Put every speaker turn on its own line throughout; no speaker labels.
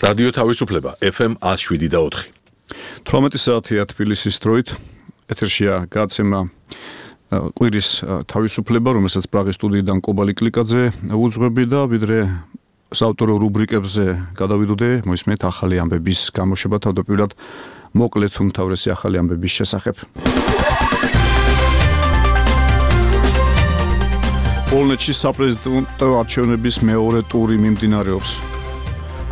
რადიო თავისუფლება FM 107.4.
18 საათია თბილისის დროით. ეთერშია გადაცემა კვირის თავისუფლება, რომელსაც პრაღის სტუდიიდან კობალი კლიკაძე უძღვები და ვიდრე საავტორო რუბრიკებზე გადავიდოდე, მოისმენთ ახალი ამბების გამოშვება, თავდაპირველად მოკლედ უმთავრესი ახალი ამბების შესახებ. პოლონეთში საპრეზიდენტო არჩევნების მეორე ტური მიმდინარეობს.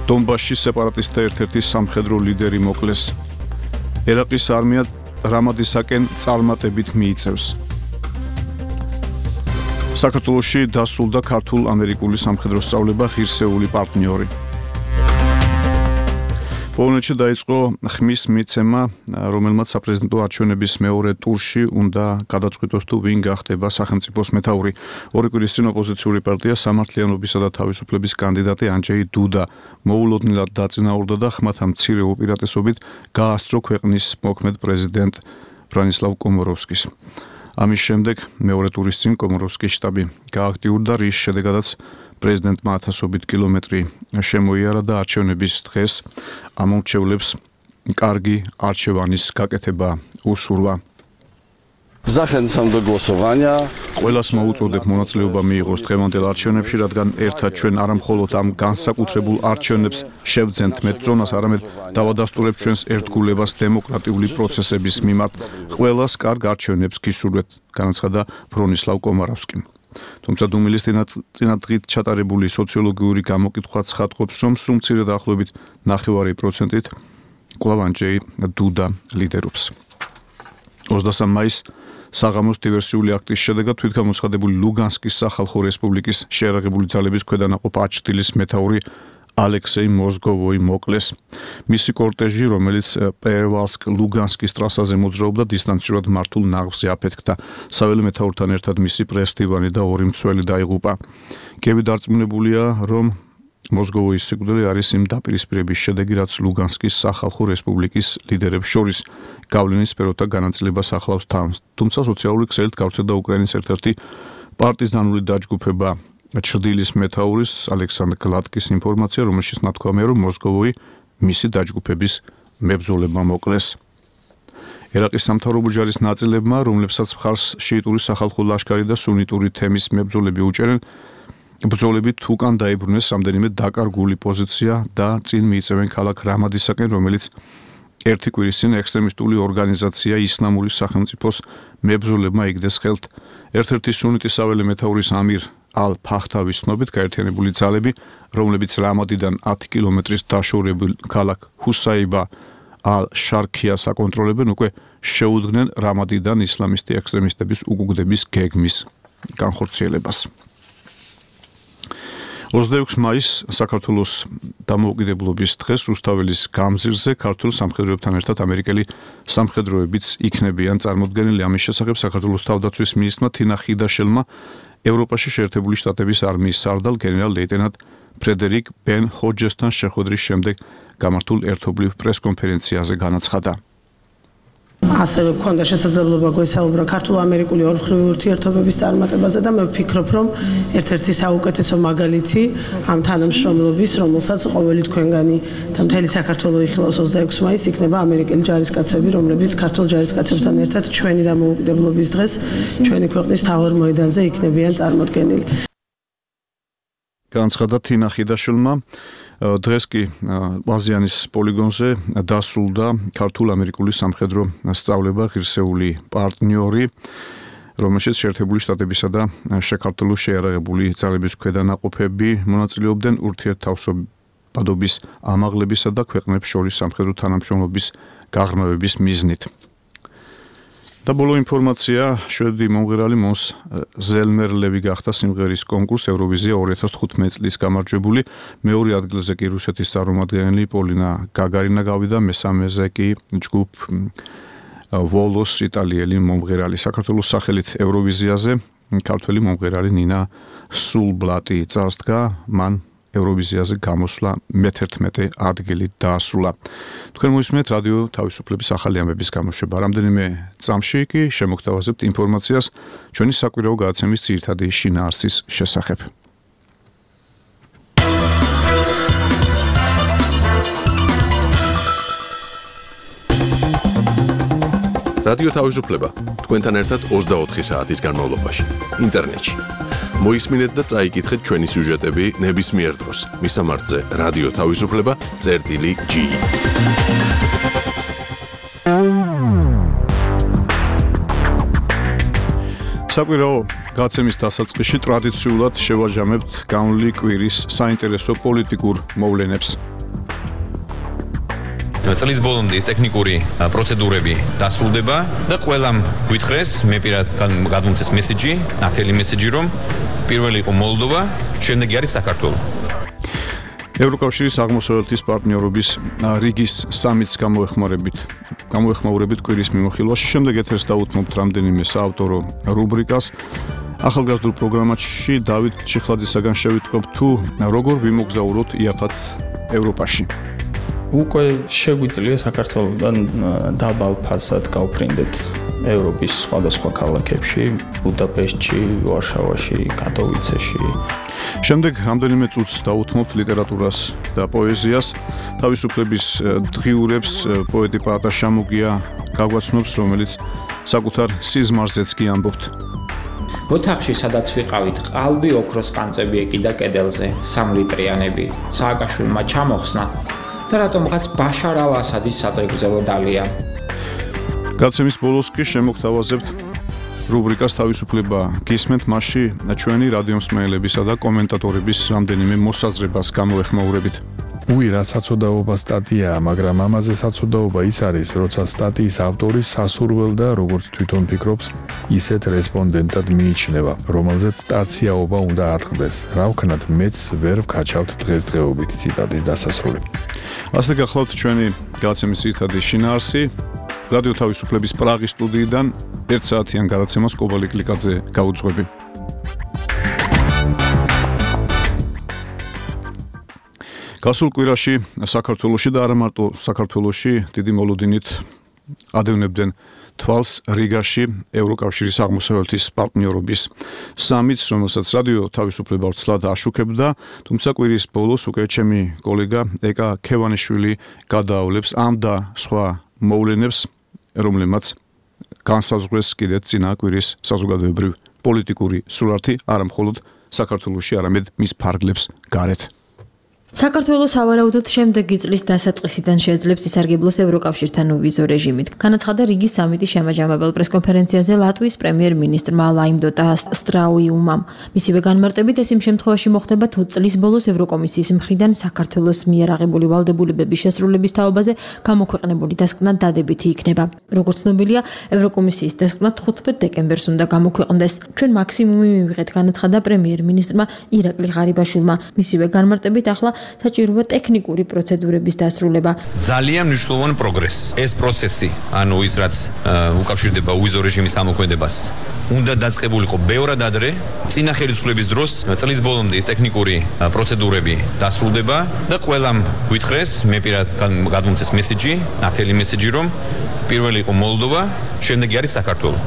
დონბასში სეპარატისტთა ერთ-ერთი სამხედრო ლიდერი მოკლეს. ერაყის არმია რამადისაკენ წარმატებით მიიწევს. საქართველოში დასრულდა ქართულ-ამერიკული სამხედრო სწავლება ღირსეული პარტნიორი. პოლონეთში დაიწყო ხმის მიცემა, რომელმაც საპრეზიდენტო არჩევნების მეორე ტურში უნდა გადაწყვიტოს თუ ვინ გახდება სახელმწიფოს მეთაური. ორი კვირის წინ ოპოზიციური პარტია სამართლიანობისა და თავისუფლების კანდიდატი ანჯეი დუდა მოულოდნელად დაწინაურდა და ხმათა მცირე უპირატესობით გაასწრო ქვეყნის მოქმედ პრეზიდენტ ბრანისლავ კომოროვსკის. ამის შემდეგ მეორე ტურის წინ კომოროვსკის შტაბი გააქტიურდა, რის შედეგადაც პრეზიდენტმა 1000 კილომეტრი შემოიარა და არჩევნების დღეს ამომრჩევლებს კარგი არჩევანის გაკეთება უსურვა.
Zachęcam do głosowania.
ყველას მოუწოდებ მონაწილეობა მიიღოს დღევანდელ არჩევნებში, რადგან ერთად ჩვენ არა მხოლოდ ამ განსაკუთრებულ არჩევნებს შევძენთ მეტწონას, არამედ დავადასტურებთ ჩვენს ერთგულებას დემოკრატიული პროცესების მიმართ. ყველას კარგ არჩევნებს გისურვებთ, განაცხადა ბრონისლავ კომაროვსკიმ. თუმცა დუმილის წინადღით ჩატარებული სოციოლოგიური გამოკითხვა ცხადყოფს, რომ სულ მცირე დაახლოებით 9% კვლავ ანჯეი დუდა ლიდერობს. 23 მაისს საღამოს დივერსიული აქტის შედეგად თვითგამოცხადებული ლუგანსკის სახალხო რესპუბლიკის შეიარაღებული ძალების ქვედანაყოფ აჩტილის მეთაური ალექსეი მოზგოვოი მოკლეს. მისი კორტეჟი, რომელიც პერვალსკ-ლუგანსკის ტრასაზე მოძრაობდა, დისტანციურად მართულ ნაღზზე აფეთქდა. საველე მეთაურთან ერთად მისი პრეს-მდივანი და ორი მცველი დაიღუპა. კიევი დარწმუნებულია, რომ მოზგოვოის სიკვდილი არის იმ დაპირისპირების შედეგი, რაც ლუგანსკის სახალხო რესპუბლიკის ლიდერებს შორის გავლენის სფეროთა განაწილებას ახლავს თავს. თუმცა სოციალური ქსელით გავრცელდა უკრაინის ერთ-ერთი პარტიზანული დაჯგუფება ჩრდილის მეთაურის ალექსანდრ გლატკის ინფორმაცია, რომელშიც ნათქვამია, რომ მოზგოვოი მისი დაჯგუფების მებრძოლებმა მოკლეს. ერაყის სამთავრობო ჯარის ნაწილებმა, რომლებსაც მხარს შიიტური სახალხო ლაშქარი და სუნიტური თემის მებრძოლები უჭერენ, ბრძოლებით უკან დაიბრუნეს რამდენიმე დაკარგული პოზიცია და წინ მიიწევენ ქალაქ რამადისაკენ, რომელიც ერთი კვირის წინ ექსტრემისტული ორგანიზაცია ისლამური სახელმწიფოს მებრძოლებმა იგდეს ხელთ. ერთ-ერთი სუნიტის საველე მეთაურის ამირ ალ-ფახტავის ცნობით გაერთიანებული ძალები, რომლებიც რამადიდან 10 კილომეტრის დაშორებულ ქალაქ ჰუსაიბა ალ-შარქიას აკონტროლებენ, უკვე შეუდგნენ რამადიდან ისლამისტი ექსტრემისტების უკუგდების გეგმის განხორციელებას. 26 მაისს საქართველოს დამოუკიდებლობის დღეს რუსთაველის გამზირზე ქართულ სამხედროებთან ერთად ამერიკელი სამხედროებიც იქნებიან წარმოდგენილი. ამის შესახებ საქართველოს თავდაცვის მინისტრმა თინა ხიდაშელმა ევროპაში შეერთებული შტატების არმიის სარდალ გენერალ-ლეიტენანტ ფრედერიკ ბენ ჰოჯესთან შეხვედრის შემდეგ გამართულ ერთობლივ პრეს-კონფერენციაზე განაცხადა.
ასევე გქონდა შესაძლებლობა გვესაუბრა ქართულ-ამერიკული ორმხრივი ურთიერთობების წარმატებაზე და მე ვფიქრობ, რომ ერთ-ერთი საუკეთესო მაგალითი ამ თანამშრომლობის, რომელსაც ყოველი თქვენგანი და მთელი საქართველო იხილავს 26 მაისს, იქნება ამერიკელი ჯარისკაცები, რომლებიც ქართულ ჯარისკაცებთან ერთად ჩვენი დამოუკიდებლობის დღეს ჩვენი ქვეყნის მთავარ მოედანზე იქნებიან წარმოდგენილი.
განაცხადა თინა ხიდაშვილმა. დღეს კი აზიანის პოლიგონზე დასრულდა ქართულ-ამერიკული სამხედრო სწავლება ღირსეული პარტნიორი, რომელშიც შეერთებული შტატებისა და საქართველოს შეიარაღებული ძალების ქვედანაყოფები მონაწილეობდნენ ურთიერთთავსებადობის ამაღლებისა და ქვეყნებს შორის სამხედრო თანამშრომლობის გაღრმავების მიზნით. და ბოლო ინფორმაცია, შვედი მომღერალი მონს ზელმერლევი გახდა სიმღერის კონკურს ევროვიზია 2015 წლის გამარჯვებული. მეორე ადგილზე კი რუსეთის წარმომადგენელი პოლინა გაგარინა გავიდა, მესამეზე კი ჯგუფ ვოლოს იტალიელი მომღერალი. საქართველოს სახელით ევროვიზიაზე ქართველი მომღერალი ნინა სულბლატი წარსდგა, მან ევროვიზიაზე გამოსვლა მე-11 ადგილი დაასრულა. თქვენ მოისმენთ რადიო თავისუფლების ახალი ამბების გამოშვება. რამდენიმე წამში კი შემოგთავაზებთ ინფორმაციას ჩვენი საკვირაო გადაცემის ძირითადი შინაარსის შესახებ.
რადიო თავისუფლება თქვენთან ერთად 24 საათის განმავლობაში ინტერნეტში. მოისმინეთ და წაიკითხეთ ჩვენი სიუჟეტები ნებისმიერ დროს. მისამართზე რადიო თავისუფლება.ge.
საკვირაო გაცემის დასაწყისში ტრადიციულად შევაჯამებთ განვლილი კვირის საინტერესო პოლიტიკურ მოვლენებს.
წლის ბოლომდე ის ტექნიკური პროცედურები დასრულდება და ყველამ გვითხრეს, მე პირად გადმომცეს მესიჯი, ნათელი მესიჯი, რომ პირველი იყო მოლდოვა, შემდეგი არის საქართველო.
ევროკავშირის აღმოსავლეთის პარტნიორობის რიგის სამიტს გამოეხმაურებით კვირის მიმოხილვაში შემდეგ ეთერს დაუთმობთ რამდენიმე საავტორო რუბრიკას. ახალგაზრდულ პროგრამაში დავით ჩიხლაძისაგან შევიტყვევთ თუ როგორ ვიმოგზაუროთ იაფად ევროპაში.
უკვე შეგვიძლია საქართველოსთან დაბალ ფასად გავფრინდეთ ევროპის სხვადასხვა ქალაქებში, ბუდაპეშტში, ვარშავაში, კატოვიცეში.
შემდეგ რამდენიმე წუთს დაუთმობთ ლიტერატურას და პოეზიას. თავისუფლების დღიურებს პოეტი პაატა შამუგია გაგვაცნობს, რომელიც საკუთარ სიზმარზეც კი ამბობთ.
ოთახში, სადაც ვიყავით, ყალბი ოქროს ყანწები ეკიდა კედელზე, 3 ლიტრიანები. სააკაშვილმა ჩამოხსნა და რატომღაც ბაშარ ალ-ასადის სადღეგრძელო დალია.
გაცემის ბოლოს კი შემოგთავაზებთ რუბრიკას თავისუფლება გისმენთ, მასში ჩვენი რადიომსმენელებისა და კომენტატორების რამდენიმე მოსაზრებას გამოეხმაურებით.
რა საცოდაობა სტატიაა, მაგრამ ამაზე საცოდაობა ის არის, როცა სტატიის ავტორი სასურველ და როგორც თვითონ ფიქრობს, ისეთ რესპონდენტად მიიჩნევა, რომელზეც სტაციაობა უნდა ატყდეს. რა ვქნათ, მეც ვერ ვქაჩავთ დღესდღეობით ციტატის დასასრული.
ასე გახლავთ ჩვენი გაცემის ძირითადი შინაარსი. რადიო თავისუფლების პრაღის სტუდიიდან 1 საათიან გადაცემას კობალი კლიკაძე გაუძღვები. გასულ კვირაში საქართველოში და არა მარტო საქართველოში დიდი მოლოდინით ადევნებდნენ თვალს რიგაში ევროკავშირის აღმოსავლეთის პარტნიორობის სამიტს, რომელსაც რადიო თავისუფლება ვრცლად აშუქებდა, თუმცა კვირის ბოლოს უკვე ჩემი კოლეგა ეკა ქევანიშვილი გადაავლებს ამ და სხვა მოვლენებს, რომლებმაც განსაზღვრეს კიდეც წინა კვირის საზოგადოებრივ პოლიტიკური სურათი, არა მხოლოდ საქართველოში, არამედ მის ფარგლებს გარეთ.
საქართველოს სავარაუდოდ შემდეგი წლის დასაწყისიდან შეძლებს ისარგებლოს ევროკავშირთან უვიზო რეჟიმით. განაცხადა რიგის სამიტის შემაჯამებელ პრესკონფერენციაზე ლატვიის პრემიერ-მინისტრმა ლაიმდოტა სტრაუიუმამ. მისივე განმარტებით ეს იმ შემთხვევაში მოხდება, თუ წლის ბოლოს ევროკომისიის მხრიდან საქართველოს მიერ აღებული ვალდებულებების შესრულების თაობაზე გამოქვეყნებული დასკვნა დადებითი იქნება. როგორც ცნობილია, ევროკომისიის დასკვნა 15 დეკემბერს უნდა გამოქვეყნდეს. ჩვენ მაქსიმუმი მივიღეთ, განაცხადა პრემიერ-მინისტრმა ირაკლი ღარიბაშვილმა. მისივე განმარტებით ახლა საჭიროა ტექნიკური პროცედურების დასრულება.
ძალიან მნიშვნელოვანი პროგრესი. ეს პროცესი, ანუ ის რაც უკავშირდება უვიზო რეჟიმის ამოქმედებას, უნდა დაწყებულიყო ბევრად ადრე. წინა ხელისუფლების დროს წლის ბოლომდე ის ტექნიკური პროცედურები დასრულდება და ყველამ გვითხრეს, მე პირად გადმომცეს მესიჯი, ნათელი მესიჯი, რომ პირველი იყო მოლდოვა, შემდეგი არის საქართველო.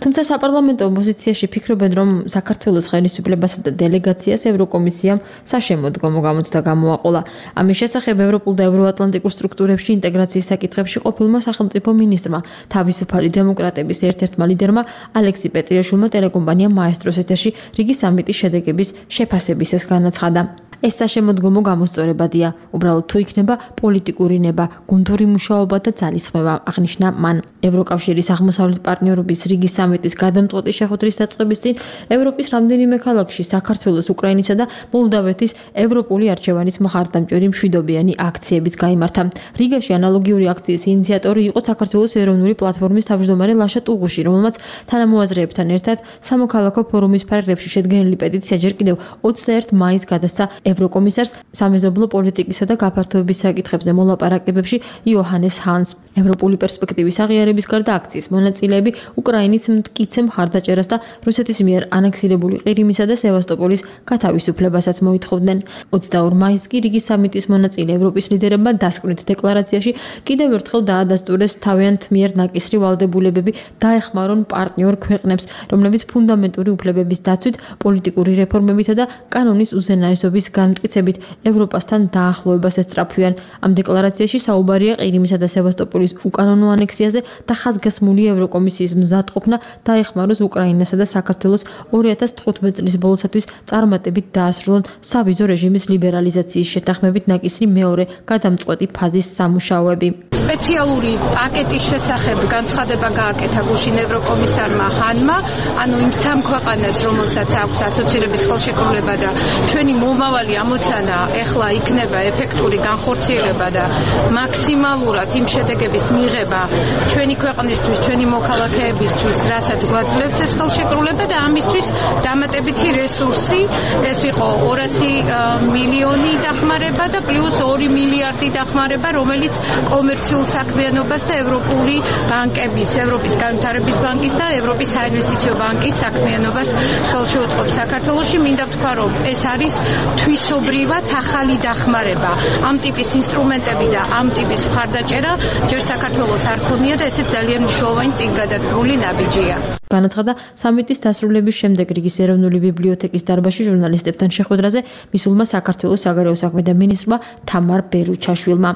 თუმცა საპარლამენტო ოპოზიციაში ფიქრობენ, რომ საქართველოს ხელისუფლებასა და დელეგაციას ევროკომისიამ საშემოდგომო გამოცდა გამოაყოლა. ამის შესახებ ევროპულ და ევროატლანტიკურ სტრუქტურებში ინტეგრაციის საკითხებში ყოფილმა სახელმწიფო მინისტრმა, თავისუფალი დემოკრატების ერთ-ერთმა ლიდერმა ალექსი პეტრიაშვილმა ტელეკომპანია მაესტროს ეთერში რიგი სამიტის შედეგების შეფასებისას განაცხადა. ეს საშემოდგომო გამოსწორებადია, უბრალოდ თუ იქნება პოლიტიკური ნება, გუნდური მუშაობა და ძალისხმევა, აღნიშნა მან. ევროკავშირის აღმოსავლეთ პარტნიორობის რიგის სამიტის გადამწყვეტი შეხვედრის დაწყების წინ ევროპის რამდენიმე ქალაქში საქართველოს, უკრაინისა და მოლდავეთის ევროპული არჩევანის მხარდამჭერი მშვიდობიანი აქციებიც გაიმართა. რიგაში ანალოგიური აქციის ინიციატორი იყო საქართველოს ეროვნული პლატფორმის თავმჯდომარე ლაშა ტუღუში, რომელმაც თანამოაზრეებთან ერთად სამოქალაქო ფორუმის ფარგლებში შედგენილი პეტიცია ჯერ კიდევ 21 მაისს გადასცა ევროკომისარს სამეზობლო პოლიტიკისა და გაფართოების საკითხებზე მოლაპარაკებებში იოჰანეს ჰანს. ევროპული პერსპექტივის აღიარების გარდა აქციის მონაწილეები უკრაინის მტკიცე მხარდაჭერას და რუსეთის მიერ ანექსირებული ყირიმისა და სევასტოპოლის გათავისუფლებასაც მოითხოვდნენ. 22 მაისს კი რიგის სამიტის მონაწილე ევროპის ლიდერებმა დასკვნით დეკლარაციაში კიდევ ერთხელ დაადასტურეს თავიანთ მიერ ნაკისრი ვალდებულებები დაეხმარონ პარტნიორ ქვეყნებს, რომლებიც ფუნდამენტური უფლებების დაცვით, პოლიტიკური რეფორმებითა და კანონის უზენაესობის განმტკიცებით ევროპასთან დაახლოებას ესწრაფვიან. ამ декларацიაში საუბარია ყირიმისა და სევასტოპოლის უკანონო ანექსიაზე და ხაზგასმული ევროკომისიის მზადყოფნა დაეხმაროს უკრაინასა და საქართველოს 2015 წლის ბოლოსათვის წარმატებით დაასრულონ სავიზო რეჟიმის ლიბერალიზაციის შეთანხმებით ნაკისრი მეორე გადამწყვეტი ფაზის სამუშაოები.
სპეციალური პაკეტის შესახებ განცხადება გააკეთა გუშინ ევროკომისარმა ჰანმა, ანუ იმ სამ ქვეყანას, რომელსაც აქვს ასოცირების ხელშეკრულება და ჩვენი მომავალი ამოცანა ეხლა იქნება ეფექტური განხორციელება და მაქსიმალურად იმ შედეგების მიღება ჩვენი ქვეყნისთვის, ჩვენი მოქალაქეებისთვის, რასაც გვაძლევს ეს ხელშეკრულება და ამისთვის დამატებითი რესურსი, ეს იყო 200 მილიონი დახმარება და პლუს 2 მილიარდი დახმარება, რომელიც კომერციულ საქმიანობას და ევროპული ბანკების, ევროპის განვითარების ბანკის და ევროპის საინვესტიციო ბანკის საქმიანობას ხელში უწყობს საქართველოში. მინდა ვთქვა, რომ ეს არის თვისობრივად ახალი დახმარება. ამ ტიპის ინსტრუმენტები და ამ ტიპის მხარდაჭერა ჯერ საქართველოს არ ქონია და ესეც ძალიან მნიშვნელოვანი წინგადადგმული ნაბიჯია.
განაცხადა სამიტის დასრულების შემდეგ რიგის ეროვნული ბიბლიოთეკის დარბაზში ჟურნალისტებთან შეხვედრაზე მისულმა საქართველოს საგარეო საქმეთა მინისტრმა თამარ ბერუჩაშვილმა.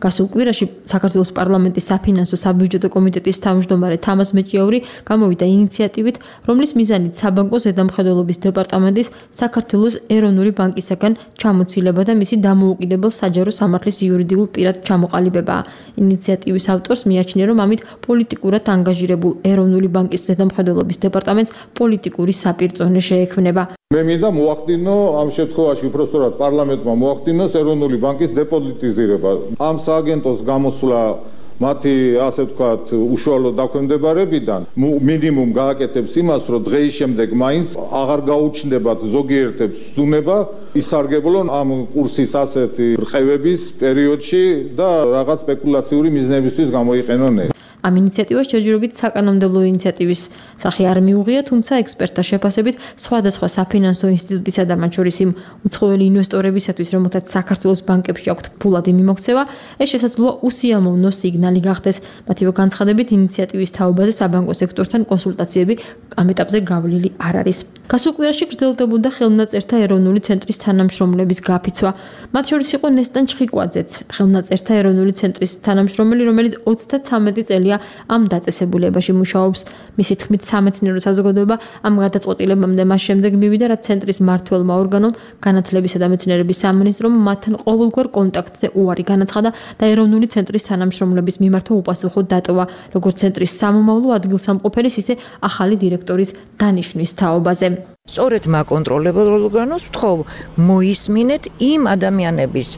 გასულ კვირაში საქართველოს პარლამენტის საფინანსო საბიუჯეტო კომიტეტის თავმჯდომარე თამაზ მეჭიაური გამოვიდა ინიციატივით, რომლის მიზანით საბანკო ზედამხედველობის დეპარტამენტის საქართველოს ეროვნული ბანკისაგან ჩამოცილება და მისი დამოუკიდებელ საჯარო სამართლის იურიდიულ პირად ჩამოყალიბებაა. ინიციატივის ავტორს მიაჩნია, რომ ამით პოლიტიკურად ანგაჟირებულ ეროვნული ბანკის ზედამხედველობის დეპარტამენტს პოლიტიკური საპირწონე შეექმნება.
მე მინდა მოახდინო ამ შემთხვევაში უпростоრად პარლამენტმა მოახდინოს ეროვნული ბანკის დეპოლიტიზირება. ამ სააგენტოს გამოსვლა მათი ასე ვთქვათ უშუალო დაქვემდებარებიდან მინიმუმ გააკეთებს იმას, რომ დღეის შემდეგ მაინც აღარ გაუჩნდებათ ზოგიერთებს ზუნება ისარგებლონ ამ კურსის ასეთი რყევების პერიოდში და რაღაც სპეკულაციური მიზნებისთვის გამოიყენონ ეს.
ამ ინიციატივას ჯერჯერობით საკანონმდებლო ინიციატივის სახე არ მიუღია, თუმცა ექსპერტთა შეფასებით სხვადასხვა საფინანსო ინსტიტუტისა და მათ შორის იმ უცხოელი ინვესტორებისათვის, რომელთაც საქართველოს ბანკებში აქვთ ფულადი მიმოქცევა, ეს შესაძლოა უსიამოვნო სიგნალი გახდეს. მათივე განცხადებით, ინიციატივის თაობაზე საბანკო სექტორთან კონსულტაციები ამ ეტაპზე გავლილი არ არის. გასულ კვირაში გრძელდებოდა ხელნაწერთა ეროვნული ცენტრის თანამშრომლების გაფიცვა. მათ შორის იყო ნესტან ჩხიკვაძეც, ხელნაწერთა ეროვნული ცენტრის თანამშრომელი, რომელიც 33 წელია ამ დაწესებულებაში მუშაობს. მისი თქმით, სამეცნიერო საზოგადოება ამ გადაწყვეტილებამდე მას შემდეგ მივიდა, რაც ცენტრის მმართველმა ორგანომ, განათლებისა და მეცნიერების სამინისტრომ მათთან ყოველგვარ კონტაქტზე უარი განაცხადა და ეროვნული ცენტრის თანამშრომლების მიმართვა უპასუხო დატოვა, როგორც ცენტრის სამომავლო ადგილსამყოფელის, ისე ახალი დირექტორის დანიშვნის თაობაზე.
სწორედ მაკონტროლებელ ორგანოს ვთხოვ მოისმინეთ იმ ადამიანების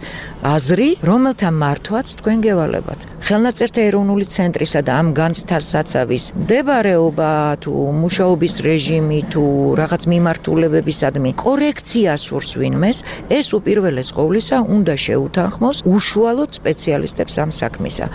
აზრი, რომელთა მართვაც თქვენ გევალებათ. ხელნაწერთა ეროვნული ცენტრისა და ამ განცდასაცავის მდებარეობა თუ მუშაობის რეჟიმი თუ რაღაც მიმართულებებისადმი კორექცია სურს ვინმეს, ეს უპირველეს ყოვლისა უნდა შეუთანხმოს უშუალოდ სპეციალისტებს ამ საქმისა.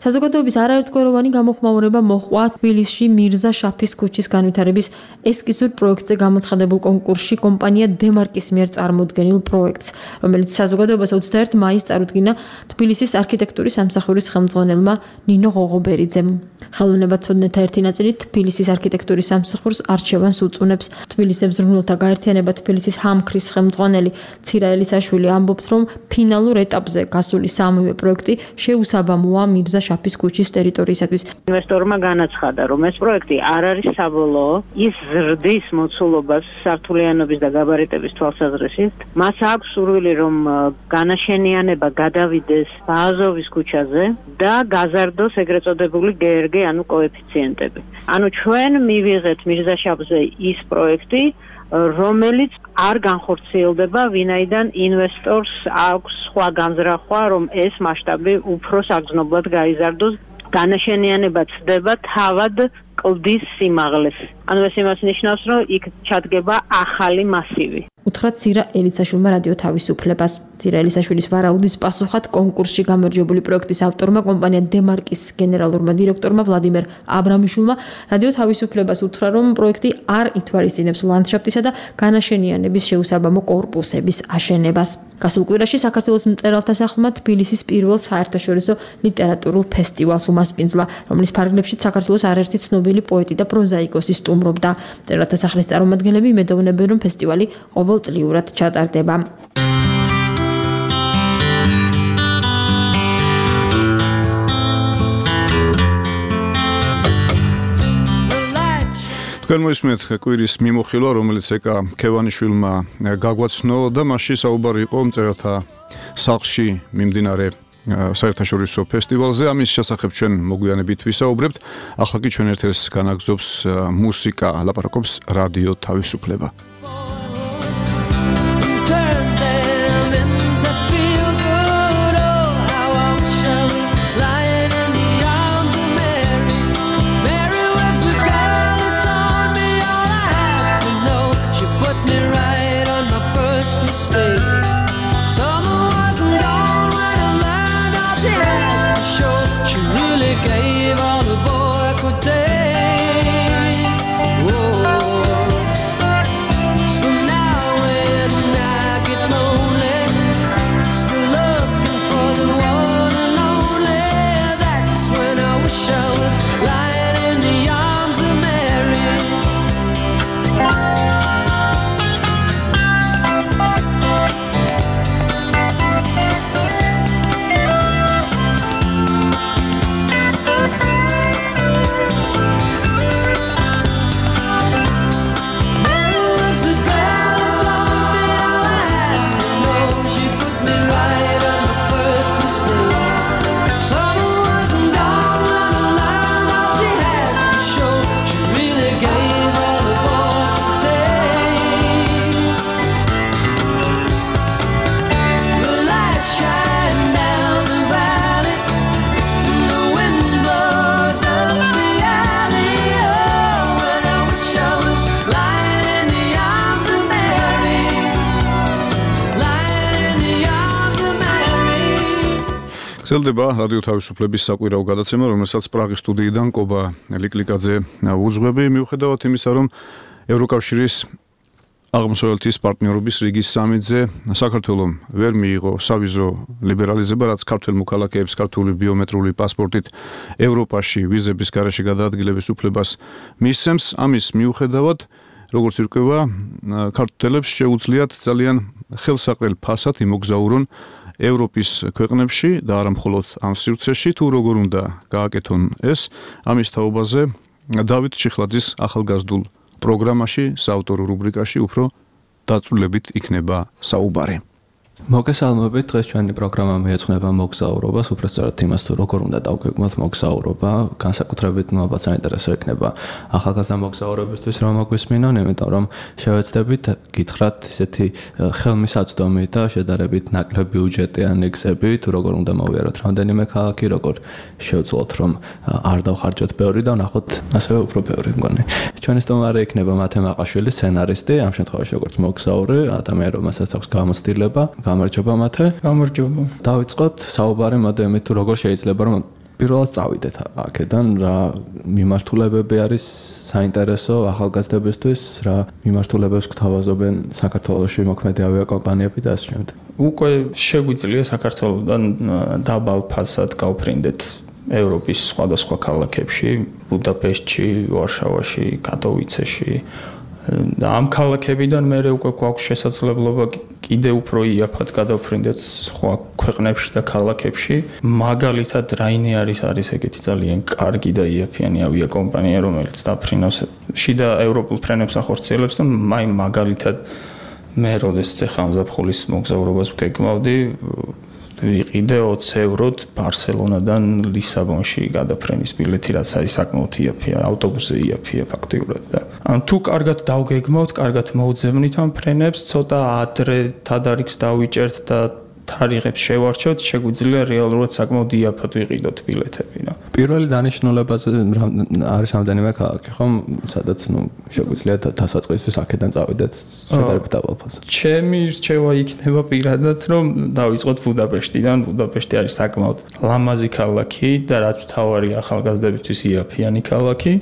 საზოგადოების არაერთგვაროვანი გამოხმაურება მოჰყვა თბილისში მირზა შაფის ქუჩის განვითარების ესკიზურ პროექტზე გამოცხადებულ კონკურსში კომპანია დემარკის მიერ წარმოდგენილ პროექტს, რომელიც საზოგადოებას 21 მაისს წარუდგინა თბილისის არქიტექტურის სამსახურის ხელმძღვანელმა ნინო ღოღობერიძემ. ხელოვნებაცოდნეთა ერთი ნაწილი თბილისის არქიტექტურის სამსახურს არჩევანს უწუნებს. თბილისის მზრუნველთა გაერთიანება თბილისის ჰამქრის ხელმძღვანელი ცირა ელისაშვილი ამბობს, რომ ფინალურ ეტაპზე გასული სამივე პროექტი შეუსაბამოა მირზა შაფის ქუჩის ტერიტორიისათვის.
ინვესტორმა განაცხადა, რომ ეს პროექტი არ არის საბოლოო, ის ზრდის მოცულობას სართულიანობის და გაბარიტების თვალსაზრისით. მას აქვს სურვილი, რომ განაშენიანება გადავიდეს ბაზოვის ქუჩაზე და გაზარდოს ეგრეთ წოდებული GRG, ანუ კოეფიციენტები. ანუ ჩვენ მივიღეთ მირზაშაფზე ის პროექტი, რომელიც არ განხორციელდება, ვინაიდან ინვესტორს აქვს სხვა განზრახვა, რომ ეს მასშტაბი უფრო საგრძნობლად გაიზარდოს, განაშენიანება ცდება თავად კლდის სიმაღლეს. ანუ ეს იმას ნიშნავს, რომ იქ ჩადგება ახალი მასივი.
უთხრა ცირა ელისაშვილმა რადიო თავისუფლებას. ცირა ელისაშვილის ვარაუდის პასუხად კონკურსში გამარჯვებული პროექტის ავტორმა კომპანია დემარკის გენერალურმა დირექტორმა ვლადიმერ აბრამიშვილმა რადიო თავისუფლებას უთხრა, რომ პროექტი არ ითვალისწინებს ლანდშაფტისა და განაშენიანების შეუსაბამო კორპუსების აშენებას. გასულ კვირაში საქართველოს მწერალთა სახლმა თბილისის პირველ საერთაშორისო ლიტერატურულ ფესტივალს უმასპინძლა, რომლის ფარგლებშიც საქართველოს არაერთი ცნობილი პოეტი და პროზაიკოსი სტუმრობდა. მწერალთა სახლის წარმომადგენლები იმედოვნებენ, რომ ფესტივალი ყოველწლიურად ჩატარდება.
თქვენ მოისმენთ კვირის მიმოხილვა, რომელიც ეკა ქევანიშვილმა გაგვაცნო და მასში საუბარი იყო მწერალთა სახლში მიმდინარე საერთაშორისო ფესტივალზე. ამის შესახებ ჩვენ მოგვიანებით ვისაუბრებთ. ახლა კი ჩვენ ერთ-ერთს განაგზობს მუსიკა, ლაპარაკობს რადიო თავისუფლება. გრძელდება რადიო თავისუფლების საკვირაო გადაცემა, რომელსაც პრაღის სტუდიიდან კობა ლიკლიკაძე უძღვები, მიუხედავად იმისა, რომ ევროკავშირის აღმოსავლეთის პარტნიორობის რიგის სამიტზე საქართველომ ვერ მიიღო სავიზო ლიბერალიზება, რაც ქართველ მოქალაქეებს ქართული ბიომეტრიული პასპორტით ევროპაში ვიზების გარეშე გადაადგილების უფლებას მისცემს. ამის მიუხედავად, როგორც ირკვევა, ქართველებს შეუძლიათ ძალიან ხელსაყრელ ფასად იმოგზაურონ ევროპის ქვეყნებში და არა მხოლოდ ამ სივრცეში, თუ როგორ უნდა გააკეთონ ეს, ამის თაობაზე დავით ჩიხლაძის ახალგაზრდულ პროგრამაში, საავტორო რუბრიკაში უფრო დაწვრილებით იქნება საუბარი.
მოგესალმებით, დღეს ჩვენი პროგრამა მიეძღვნება მოგზაურობას, უბრალოდ იმას თუ როგორ უნდა დავგვეგმოთ მოგზაურობა, განსაკუთრებით ალბათ საინტერესო იქნება ახალგაზრდა მოგზაურებისთვის რომ მოგვისმინონ, იმიტომ რომ შევეცდებით გითხრათ ისეთი ხელმისაწვდომი და შედარებით ნაკლები ბიუჯეტიანი გზები, თუ როგორ უნდა მოვიაროთ რამდენიმე ქალაქი, როგორ შევძლოთ რომ არ დავხარჯოთ ბევრი და ვნახოთ ასევე უფრო ბევრი მგონი. ჩვენი სტუმარი იქნება მათე მაყაშვილი, სცენარისტი, ამ შემთხვევაში როგორც მოგზაური, ადამიანი რომელსაც აქვს გამოცდილება. გამარჯობა მათე.
გამარჯობა.
დავიწყოთ საუბარი მოდემით თუ როგორ შეიძლება რომ პირველად წავიდეთ აქედან, რა მიმართულებები არის საინტერესო ახალგაზრდებისთვის, რა მიმართულებებს გთავაზობენ საქართველოში მოქმედი ავიაკომპანიები და ასე შემდეგ.
უკვე შეგვიძლია საქართველოდან დაბალ ფასად გავფრინდეთ ევროპის სხვადასხვა ქალაქებში, ბუდაპეშტში, ვარშავაში, კატოვიცეში. და ამ ქალაქებიდან მე უკვე გვაქვს შესაძლებლობა კიდე უფრო იაფად გადავფრინდეთ სხვა ქვეყნებში და ქალაქებში. მაგალითად, Ryanair არის ეგეთი ძალიან კარგი და იაფიანი ავიაკომპანია, რომელიც დაფრინავს შიდა ევროპულ ფრენებს ახორციელებს და მაგალითად მე როდესაც ახლა ამზაფხულის მოგზაურობას ვგეგმავდი, ვიყიდე 20 ევროდ ბარსელონადან ლისაბონში გადაფრენის ბილეთი, რაც არის საკმაოდ იაფია, ავტობუსზე იაფია ფაქტიურად და თუ კარგად დავგეგმავთ, კარგად მოვძებნით ამ ფრენებს, ცოტა ადრე თადარიგს დავიჭერთ და თარიღებს შევარჩევთ, შეგვიძლია რეალურად საკმაოდ იაფად ვიყიდოთ ბილეთები.
პირველი დანიშნულებაზე არის რამდენიმე ქალაქი, ხომ? სადაც შეგვიძლია დასაწყისისთვის აქედან წავიდეთ შედარებით დაბალ ფასად.
ჩემი რჩევა იქნება პირადად, რომ დავიწყოთ ბუდაპეშტიდან. ბუდაპეშტი არის საკმაოდ ლამაზი ქალაქი და რაც მთავარია ახალგაზრდებისთვის იაფიანი ქალაქი.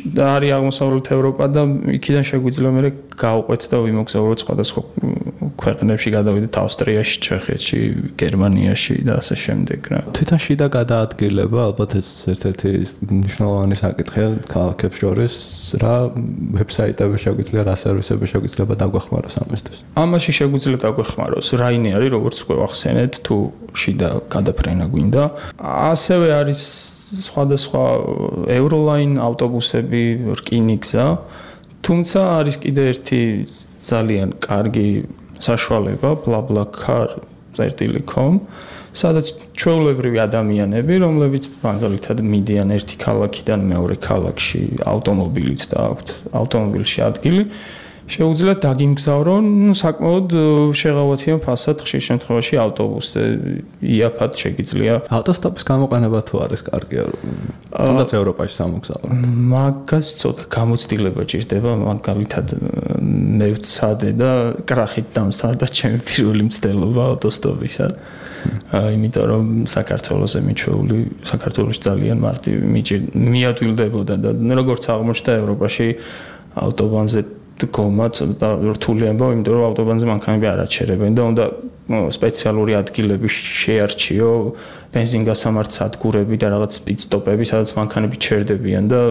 და არის აღმოსავლეთ ევროპა და იქიდან შეგვიძლია მე გავყვეთ და ვიმოგზაუროთ სხვადასხვა ქვეყნებში, გადავიდეთ ავსტრიაში, ჩეხეთში, გერმანიაში და ასე შემდეგ.
თვითონ შიდა გადაადგილება ალბათ ეს ერთ-ერთი მნიშვნელოვანი საკითხია ქალაქებს შორის, რა ვებსაიტები შეგვიძლია, რა სერვისები შეგვიძლია დაგვეხმაროს ამისთვის.
ამაში შეგვიძლია დაგვეხმაროს Ryanair, როგორც უკვე ახსენეთ, თუ შიდა გადაფრენა გვინდა. ასევე არის სხვადასხვა Euroline ავტობუსები, რკინიგზა თუმცა არის კიდე ერთი ძალიან კარგი საშუალება BlaBlaCar.com სადაც ჩვეულებრივი ადამიანები, რომლებიც მაგალითად მიდიან ერთი ქალაქიდან მეორე ქალაქში ავტომობილით და აქვთ ავტომობილში ადგილი, შეუძლიათ დაგიმგზავრონ საკმაოდ შეღავათიან ფასად ხშირ შემთხვევაში ავტობუსზე იაფად შეგიძლია
ავტოსტოპის გამოყენება თუ არის კარგია თუნდაც ევროპაში სამოგზაურო
მაგას ცოტა გამოცდილება ჭირდება მაგალითად მე ვცადე და კრახით დამსარდა ჩემი პირველი მცდელობა ავტოსტოპისა იმიტომ რომ საქართველოსზე მიჩვეული საქართველოში ძალიან მარტივი მიადვილდებოდა და როგორც აღმოჩნდა ევროპაში ავტობანზე გომა ცოტა რთული ამბავ, იმიტომ რომ ავტობანზე მანქანები არ აჩერებენ და უნდა სპეციალური ადგილები შეარჩიო, ბენზინგასამართ სადგურები და რაღაც პიტსტოპები, სადაც მანქანები ჩერდებიან და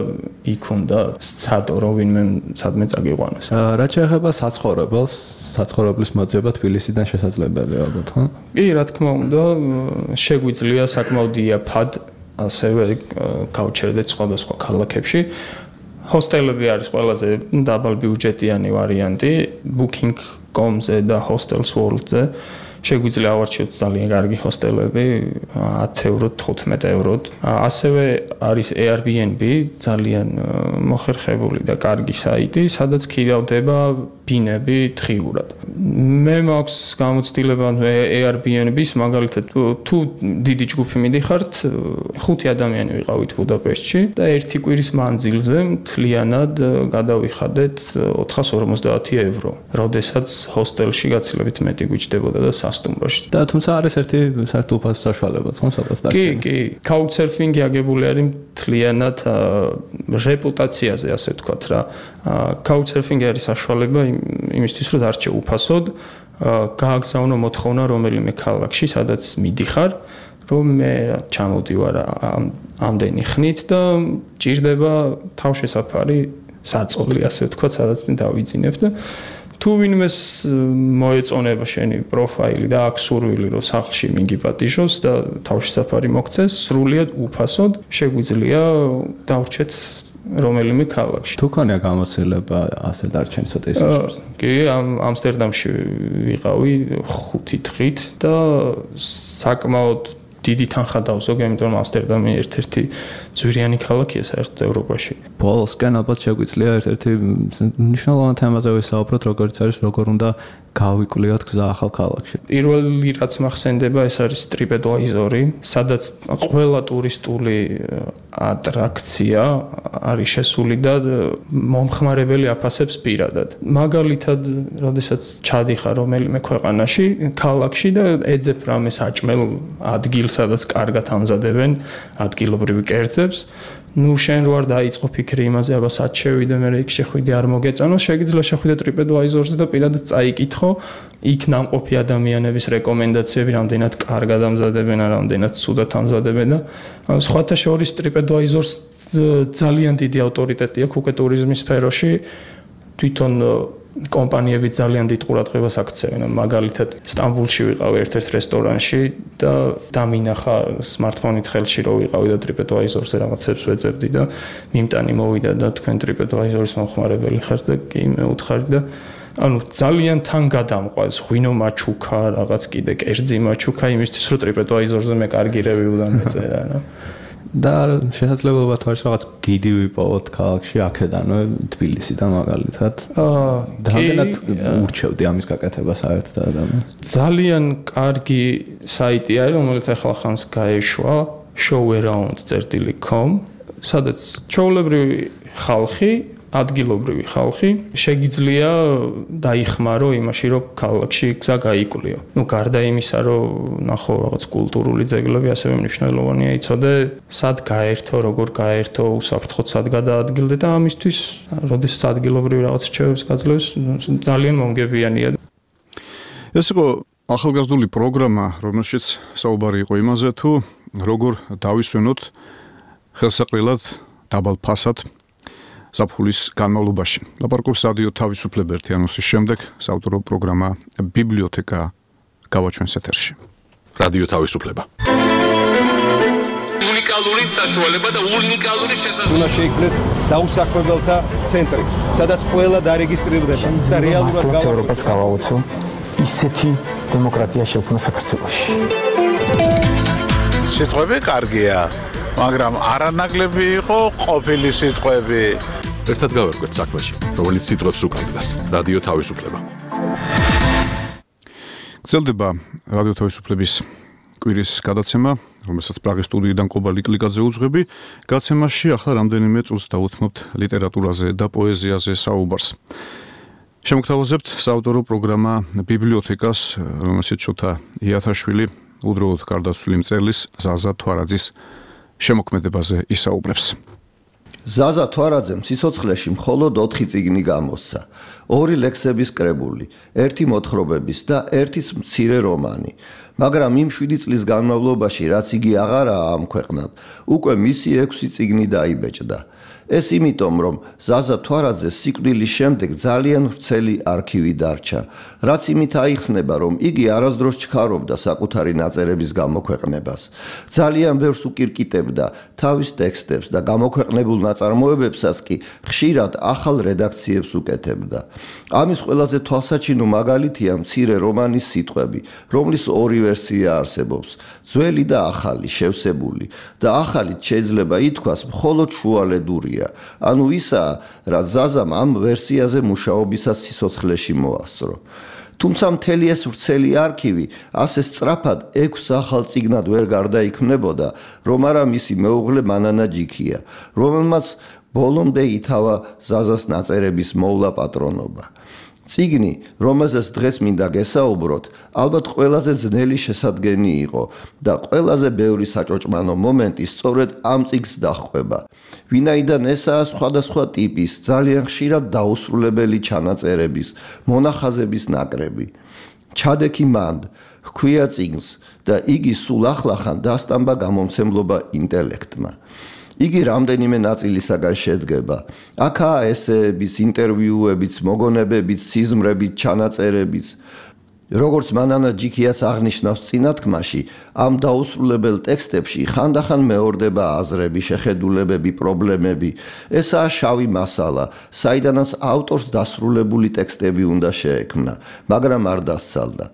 იქ უნდა სცადო, რომ ვინმე სადმე წაგიყვანოს.
რაც შეეხება საცხოვრებელს, საცხოვრებლის მოძიება თბილისიდან შესაძლებელია ალბათ, ხო?
კი, რა თქმა უნდა, შეგვიძლია საკმაოდ იაფად ასევე გავჩერდეთ სხვადასხვა ქალაქებში. ჰოსტელები არის ყველაზე დაბალბიუჯეტიანი ვარიანტი booking.com-ზე და hostels world-ზე შეგვიძლია ავარჩიოთ ძალიან კარგი ჰოსტელები 10 ევროთ 15 ევროთ ასევე არის Airbnb ძალიან მოხერხებული და კარგი საიტი სადაც ქირავდება ბინები დღიურად მე მაქვს გამოცდილება Airbnb-ს მაგალითად თუ დიდი ჯგუფი მიდიხართ 5 ადამიანი ვიყავით ბუდაპეშტში და ერთი კვირის მანძილზე მთლიანად გადავიხადეთ 450 евро როდესაც ჰოსტელში გაცილებით მეტი გვიჭდებოდა და სტუმროში.
და თუმცა არის ერთი საერთო საშუალებაც, ხო, სადაც დაგჭირდა.
კი, couchsurfing-ი აგებული არის მთლიანად რეპუტაციაზე, ასე ვთქვათ რა. couchsurfing-ი არის საშუალება იმისთვის, რომ დარჩე უფასოდ, გააგზავნო მოთხოვნა რომელიმე ქალაქში, სადაც მიდიხარ, რომ მე ჩამოდივარ ამდენი ხნით და ჭირდება თავშესაფარი, საწოლი, ასე ვთქვათ, სადაც მე დავიძინებ და თუ ვინმეს მოეწონება შენი პროფაილი და აქვს სურვილი რომ სახლში მიგიპატიჟოს და თავშესაფარი მოგცეს სრულიად უფასოდ შეგვიძლია დავრჩეთ რომელიმე ქალაქში
თუ ქონია გამოცდილება ასე დარჩენი ცოტა ისე
კი ამსტერდამში ვიყავი 5 დღით და საკმაოდ დიდი თანხა დავზოგე, იმიტომ რომ ამსტერდამი ერთ-ერთი ძვირიანი ქალაქია საერთოდ ევროპაში.
ბოლოსკენ ალბათ შეგვიძლია ერთ-ერთი მნიშვნელოვანი თემაზე ვისაუბროთ, როგორც არის როგორ უნდა გავიკვლიოთ გზა ახალ ქალაქში.
პირველი რაც მახსენდება, ეს არის TripAdvisor-ი, სადაც ყველა ტურისტული ატრაქცია არის შესული და მომხმარებელი აფასებს პირადად. მაგალითად, როდესაც ჩადიხარ რომელიმე ქვეყანაში, ქალაქში და ეძებ რამე საჭმელ ადგილს, სადაც კარგად ამზადებენ ადგილობრივი კერძებს, ნუ შენ რო არ დაიწყო ფიქრი იმაზე, აბა სად შევიდე, მე იქ შეხვიდე არ მოგეწონოს, შეგიძლია შეხვიდე TripAdvisor-ზე და პირადად წაიკითხო, იქ ნამყოფი ადამიანების რეკომენდაციები რამდენად კარგად ამზადებენ, რამდენად ცუდად ამზადებენ და სხვათა შორის TripAdvisor-ს ძალიან დიდი ავტორიტეტი აქვს უკვე ტურიზმის სფეროში, თვითონ კომპანიები ძალიან დიდ ყურადღებას აქცევენ. მაგალითად, სტამბულში ვიყავი ერთ-ერთ რესტორანში და დამინახა smartphone-ით ხელში რო ვიყავი და TripAdvisor-ზე რაღაცებს ვეძებდი და მიმტანი მოვიდა და თქვენ TripAdvisor-ის მომხმარებელი ხართ და კი მე უთხარი და ანუ ძალიან თან გადამყვანს ღვინო მაჩუკა, რაღაც კიდე კერძი მაჩუკა იმისთვის რომ TripAdvisor-ზე მე კარგი რევიუ დამეწერა რა.
და შესაძლებლობა თუ არის რაღაც გიდი ვიპოვოთ ქალაქში აქედანვე თბილისიდან მაგალითად რამდენად ურჩევდი ამის გაკეთებას საერთოდ ადამიანს
ძალიან კარგი საიტი არის რომელიც ახლა ხანს გაეშვა showaround.com სადაც ჩვეულებრივი ხალხი ადგილობრივი ხალხი შეგიძლია დაიხმარო იმაში რომ ქალაქში გზა გაიკვლიო. ნუ გარდა იმისა რომ ნახო რაღაც კულტურული ძეგლები ასევე მნიშვნელოვანია იცოდე სად გაერთო, როგორ გაერთო, უსაფრთხოდ სად გადაადგილდე და ამისთვის როდესაც ადგილობრივი რაღაც რჩევებს გაძლევს ძალიან მომგებიანია.
ეს იყო ახალგაზრდული პროგრამა, რომელშიც საუბარი იყო იმაზე თუ როგორ დავისვენოთ ხელსაყრელად დაბალ ფასად ზაფხულის განმავლობაში. ლაპარაკობს რადიო თავისუფლება ერთიანოსის შემდეგ საავტორო პროგრამა ბიბლიოთეკა გავაჩვენს ეთერში.
რადიო თავისუფლება.
უნიკალური საშუალება და უნიკალური შესაძლებლობა.
უნდა შეიქმნეს
დაუსაქმებელთა ცენტრი, სადაც ყველა დარეგისტრირდება და რეალურად
ევროპას გავაოცო ისეთი დემოკრატია შექმნა საქართველოში.
სიტყვები კარგია, მაგრამ არანაკლები იყო ყოფილი სიტყვები.
ერთად გავერკვეთ საქმეში, რომელიც სიტყვებს უკავშირდება. რადიო თავისუფლება. გრძელდება რადიო თავისუფლების კვირის გადაცემა, რომელსაც პრაღის სტუდიიდან კობა ლიკლიკაძე უძღვები. გაცემაში ახლა რამდენიმე წუთს დავუთმობთ ლიტერატურაზე და პოეზიაზე საუბარს. შემოგთავაზებთ საავტორო პროგრამა ბიბლიოთეკას, რომელშიც შოთა იათაშვილი უდროოდ გარდაცვლილი მწერლის ზაზა თვარაძის შემოქმედებაზე ისაუბრებს.
ზაზა თვარაძემ სიცოცხლეში მხოლოდ 4 წიგნი გამოსცა, 2 ლექსების კრებული, 1 მოთხრობების და 1 მცირე რომანი. მაგრამ იმ 7 წლის განმავლობაში, რაც იგი აღარაა ამ ქვეყნად, უკვე მისი 6 წიგნი დაიბეჭდა. ეს იმიტომ, რომ ზაზა თვარაძეს სიკვდილის შემდეგ ძალიან ვრცელი არქივი დარჩა, რაც იმით აიხსნება, რომ იგი არასდროს ჩქარობდა საკუთარი ნაწერების გამოქვეყნებას. ძალიან ბევრს უკირკიტებდა თავის ტექსტებს და გამოქვეყნებულ ნაწარმოებებსაც კი ხშირად ახალ რედაქციებს უკეთებდა. ამის ყველაზე თვალსაჩინო მაგალითია მცირე რომანის სიტყვები, რომლის 2 ვერსია არსებობს, ძველი და ახალი, შევსებული და ახალით შეიძლება ითქვას მხოლოდ შუალედურია. ანუ ისა, რაც ზაზამ ამ ვერსიაზე მუშაობისას სიცოცხლეში მოასწრო. თუმცა მთელი ეს ვრცელი არქივი ასე სწრაფად 6 ახალ წიგნად ვერ გარდაიქმნებოდა, რომ არა მისი მეუღლე მანანა ჯიქია, რომელმაც ბოლომდე ითავა ზაზას ნაწერების მოვლა პატრონობა. წიგნი, რომელზეც დღეს მინდა გესაუბროთ, ალბათ ყველაზე ძნელი შესადგენი იყო და ყველაზე ბევრი საჭოჭმანო მომენტი სწორედ ამ წიგნს დაჰყვება. ვინაიდან ესაა სხვადასხვა ტიპის, ძალიან ხშირად დაუსრულებელი ჩანაწერების, მონახაზების ნაკრები. ჩადექი მანდ, ჰქვია წიგნს და იგი სულ ახლახან დასტამბა გამომცემლობა ინტელექტმა. იგი რამდენიმე ნაწილისაგან შედგება. აქაა ესეებიც, ინტერვიუებიც, მოგონებებიც, სიზმრებით, ჩანაწერებიც. როგორც მანანა ჯიქიაც აღნიშნავს წინათქმაში, ამ დაუსრულებელ ტექსტებში ხანდახან მეორდება აზრები, შეხედულებები, პრობლემები. ესაა შავი მასალა, საიდანაც ავტორს დასრულებული ტექსტები უნდა შეექმნა, მაგრამ არ დასცალდა.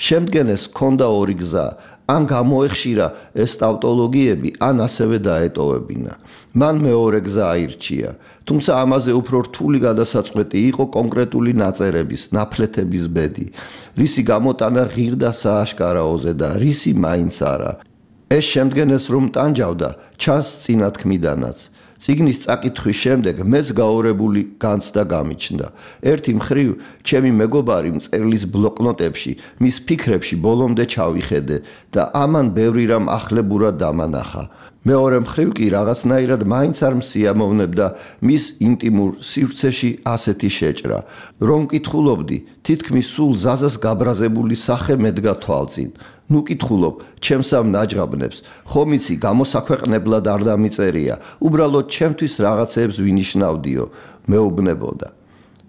შემდგენეს ჰქონდა 2 გზა. ან გამოეხშირა ეს ტავტოლოგიები, ან ასევე დაეტოვებინა. მან მეორე გზა აირჩია, თუმცა ამაზე უფრო რთული გადასაწყვეტი იყო კონკრეტული ნაწერების, ნაფლეთების ბედი, რისი გამოტანა ღირდა სააშკარაოზე და რისი მაინც არა. ეს შემდგენეს რომ ტანჯავდა, ჩანს წინათქმიდანაც. წიგნის წაკითხვის შემდეგ მეც გაორებული განცდა გამიჩნდა. ერთი მხრივ, ჩემი მეგობარი მწერლის ბლოკნოტებში, მის ფიქრებში ბოლომდე ჩავიხედე და ამან ბევრი რამ ახლებურად დამანახა. მეორე მხრივ კი რაღაცნაირად მაინც არ მსიამოვნებდა მის ინტიმურ სივრცეში ასეთი შეჭრა, რომ კითხულობდი, თითქმის სულ ზაზას გაბრაზებული სახე მედგა თვალწინ. ნუ კითხულობ, ჩემს ამ ნაჯღაბნებს, ხომ იცი, გამოსაქვეყნებლად არ დამიწერია, უბრალოდ ჩემთვის რაღაცეებს ვინიშნავდიო, მეუბნებოდა.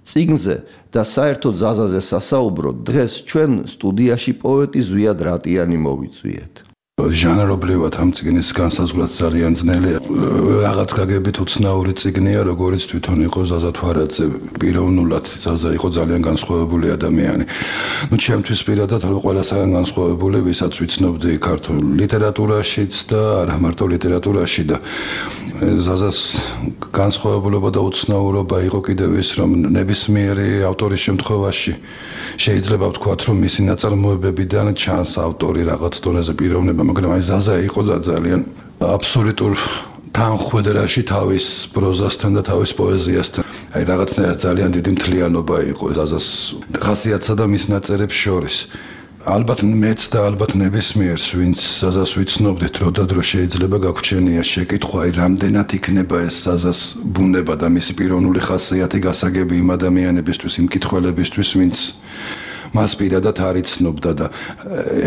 წიგნზე და საერთოდ ზაზაზე სასაუბროდ დღეს ჩვენ სტუდიაში პოეტი ზვიად რატიანი მოვიწვიეთ.
ჟანრობრივად ამ წიგნის განსაზღვრაც ძალიან ძნელია. რაღაც გაგებით უცნაური წიგნია, როგორც თვითონ იყო ზაზა თვარაძე. პიროვნულად ზაზა იყო ძალიან განსხვავებული ადამიანი. ნუ ჩემთვის პირადად ყველასაგან განსხვავებული, ვისაც ვიცნობდი ქართულ ლიტერატურაშიც და არა მარტო ლიტერატურაში და ზაზას განსხვავებულობა და უცნაურობა იყო კიდევ ის, რომ ნებისმიერი ავტორის შემთხვევაში შეიძლება ვთქვათ, რომ მისი ნაწარმოებებიდან ჩანს ავტორი რაღაც დონეზე პიროვნება, მაგრამ აი ზაზა იყო და ძალიან აბსოლუტურ თანხვედრაში თავის პროზასთან და თავის პოეზიასთან. აი რაღაცნაირად ძალიან დიდი მთლიანობა იყო ზაზას ხასიათსა და მის ნაწერებს შორის. ალბათ მეც და ალბათ ნებისმიერს, ვინც ზაზას ვიცნობდით, დრო და დრო შეიძლება გაგვჩენია შეკითხვა, აი რამდენად იქნება ეს ზაზას ბუნება და მისი პიროვნული ხასიათი გასაგები იმ ადამიანებისთვის, იმ მკითხველებისთვის, ვინც მას პირადად არ იცნობდა და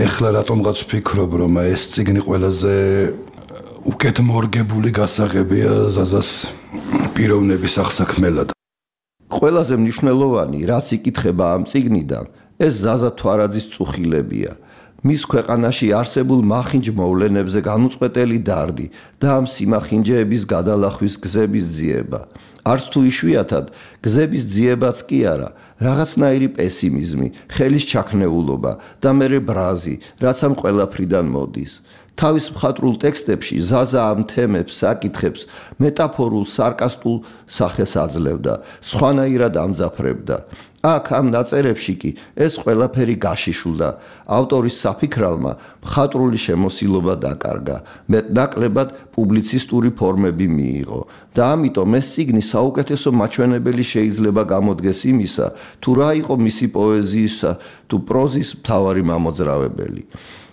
ეხლა რატომღაც ვფიქრობ, რომ ეს წიგნი ყველაზე უკეთ მორგებული გასაღებია ზაზას პიროვნების აღსაქმელად.
ყველაზე მნიშვნელოვანი, რაც იკითხება ამ წიგნიდან, ეს ზაზა თვარაძის წუხილებია. მის ქვეყანაში არსებულ მახინჯ მოვლენებზე განუწყვეტელი დარდი და ამ სიმახინჯეების გადალახვის გზების ძიება. არც თუ იშვიათად გზების ძიებაც კი არა, რაღაცნაირი პესიმიზმი, ხელის ჩაქნეულობა და მერე ბრაზი, რაც ამ ყველაფრიდან მოდის. თავის მხატვრულ ტექსტებში ზაზა ამ თემებს, საკითხებს მეტაფორულ, სარკასტულ სახეს აძლევდა, სხვანაირად ამძაფრებდა. აქ ამ ნაწერებში კი ეს ყველაფერი გაშიშულდა. ავტორის საფიქრალმა მხატვრული შემოსილობა დაკარგა, მეტნაკლებად პუბლიცისტური ფორმები მიიღო და ამიტომ ეს წიგნი საუკეთესო მაჩვენებელი შეიძლება გამოდგეს იმისა, თუ რა იყო მისი პოეზიისა თუ პროზის მთავარი მამოძრავებელი.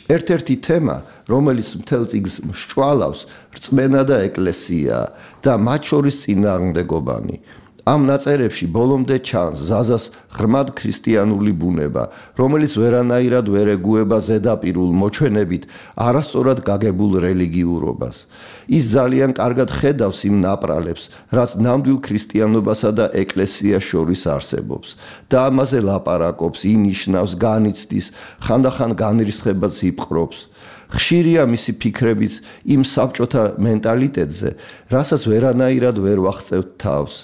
ერთ-ერთი თემა, რომელიც მთელ წიგნს მსჭვალავს, რწმენა და ეკლესია და მათ შორის წინააღმდეგობანი. ამ ნაწერებში ბოლომდე ჩანს ზაზას ღრმად ქრისტიანული ბუნება, რომელიც ვერანაირად ვერ ეგუება ზედაპირულ მოჩვენებით არასწორად გაგებულ რელიგიურობას. ის ძალიან კარგად ხედავს იმ ნაპრალებს, რაც ნამდვილ ქრისტიანობასა და ეკლესიას შორის არსებობს და ამაზე ლაპარაკობს, ინიშნავს, განიცდის, ხანდახან განრისხებაც იპყრობს. ხშირია მისი ფიქრებიც იმ საბჭოთა მენტალიტეტზე, რასაც ვერანაირად ვერ ვახწევთ თავს.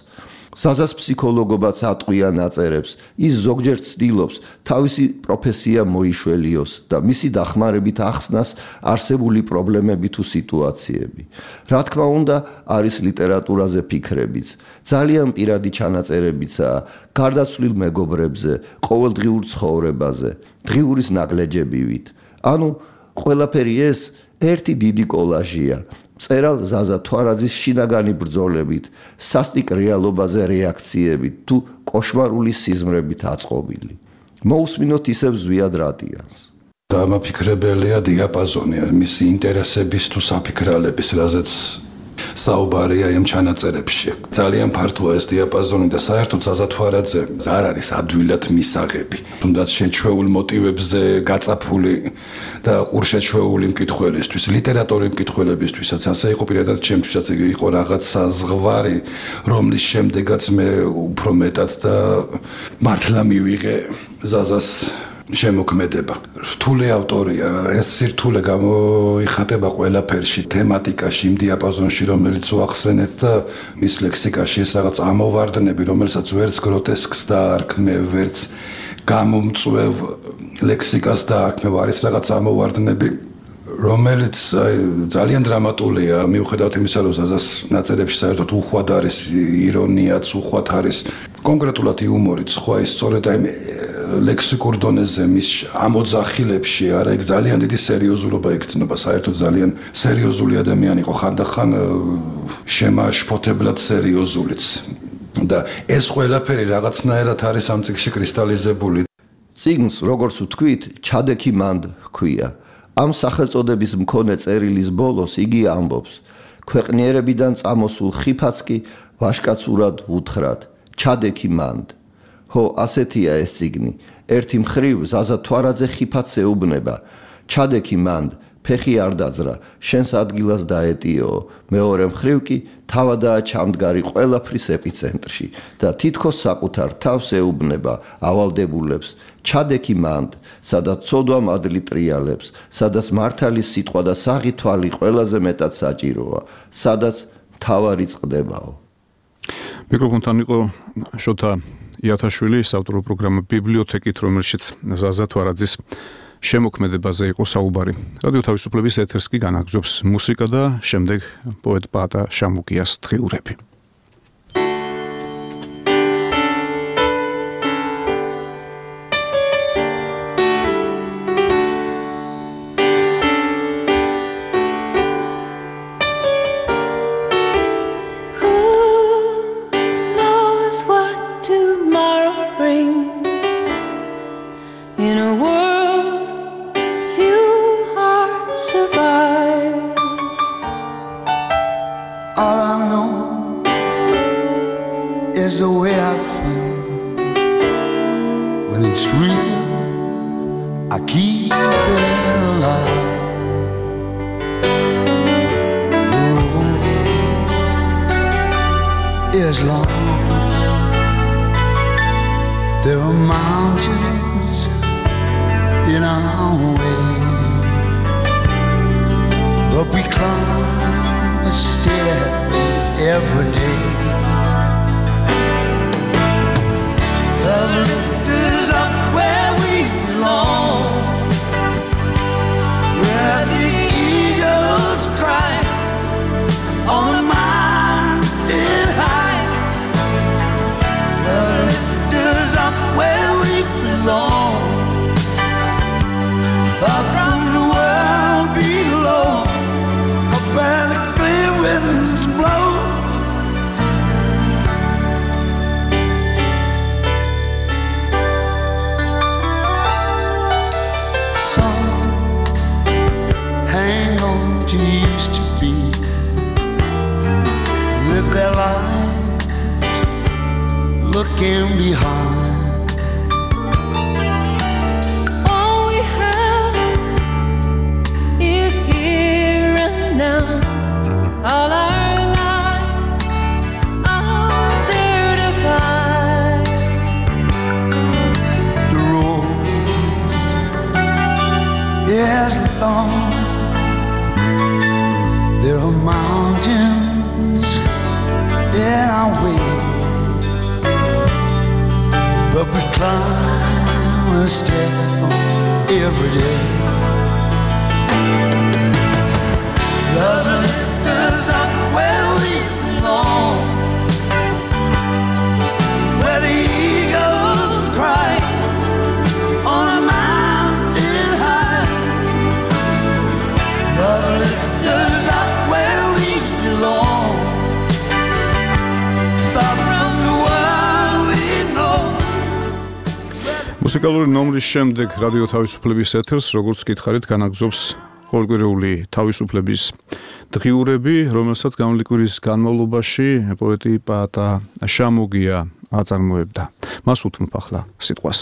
ზაზას ფსიქოლოგობაც ატყვია ნაწერებს, ის ზოგჯერ ცდილობს თავისი პროფესია მოიშველიოს და მისი დახმარებით ახსნას არსებული პრობლემები თუ სიტუაციები. რა თქმა უნდა, არის ლიტერატურაზე ფიქრებიც, ძალიან პირადი ჩანაწერებიცაა გარდაცვლილ მეგობრებზე, ყოველდღიურ ცხოვრებაზე, დღიურის ნაგლეჯებივით. ანუ ყველაფერი ეს ერთი დიდი კოლაჟია. მწერალ ზაზა თვარაძის შინაგანი ბრძოლებით, სასტიკ რეალობაზე რეაქციებით თუ კოშმარული სიზმრებით აწყობილი. მოусმინოთ ისევ ზვიად რადიანს.
დამაფიქრებელია დიაპაზონი მისი ინტერესების თუ საფიქრალების, რაზეც საუბარია იმ ჩანაწერებში. ძალიან ფართოა ეს დიაპაზონი და საერთოდ ზაზა თვარაძე არ არის ადვილად მისაღები. თუნდაც შეჩვეულ მოტივებზე გაწაფული და ყურშეჩვეული მკითხველისთვის, ლიტერატურის მკითხველებისთვისაც, ასე იყო პირადად ჩემთვისაც იყო რაღაცა ზღვარი, რომლის შემდეგაც მე უფრო მეტად და მართლა მივიღე ზაზას შემოქმედება. რთული ავტორია, ეს სირთულე გამოიხატება ყველაფერში, თემატიკაში, იმ დიაპაზონში, რომელიც უახსენეთ და მის ლექსიკაში ეს რაღაც ამოვარდნები, რომელსაც ვერც გროტესკს დაარქმე, ვერც გამომწვევ ლექსიკას დაარქმევ, არის რაღაც ამოვარდნები, რომელიც ძალიან დრამატულია, მიუხედავად იმისა, რომ ზაზას ნაწერებში საერთოდ უხვად არის ირონიაც, უხვად არის კონკრეტულად იუმორიც, ხო ის სწორედ აი ლექსიკურ დონეზე მის ამოძახილებში არა იქ ძალიან დიდი სერიოზულობა იგრძნობა, საერთოდ ძალიან სერიოზული ადამიანი იყო, ხანდახან შემაშფოთებლად სერიოზულიც. და ეს ყველაფერი რაღაცნაირად არის ამ წიგნში კრისტალიზებული.
წიგნს, როგორც ვთქვით, ჩადექი მანდ ჰქვია. ამ სახელწოდების მქონე წერილის ბოლოს იგი ამბობს: ქვეყნიერებიდან წამოსულ ხიფაც კი ვაშკაცურად უთხრათ, ჩადექი მანდ. ხო, ასეთია ეს წიგნი. ერთი მხრივ ზაზა თვარაძე ხიფათს ეუბნება, ჩადექი მანდ, ფეხი არ დაძრა, შენს ადგილას დაეტიო. მეორე მხრივ კი თავადაა ჩამდგარი ყველაფრის ეპიცენტრში და თითქოს საკუთარ თავს ეუბნება ავალდებულებს, ჩადექი მანდ, სადაც ცოდვა მადლი ტრიალებს, სადაც მართალის სიტყვა და საღი თვალი ყველაზე მეტად საჭიროა, სადაც მთავარი წყდებაო.
მიკროფონთან იყო შოთა იათაშვილი, საავტორო პროგრამა ბიბლიოთეკით, რომელშიც ზაზა თვარაძის შემოქმედებაზე იყო საუბარი. რადიო თავისუფლების ეთერს კი განაგრძობს მუსიკა და შემდეგ პოეტ პაატა შამუკიას დღიურები.
There are mountains in our way. as long. There are mountains in our way, but we climb a step every day. Love lifts us up where we belong, where the eagles cry on a mountain high. Love lifts us up where we belong, far from the world we know.
მუსიკალური ნომრის შემდეგ რადიო თავისუფლების ეთერს, როგორც გითხარით, განაგზობს ყოველკვირეული თავისუფლების დღიურები, რომელსაც გამლიკვილის განმავლობაში პოეტი პაატა შამოგია აწარმოებდა. მას უთმობ ახლა სიტყვას.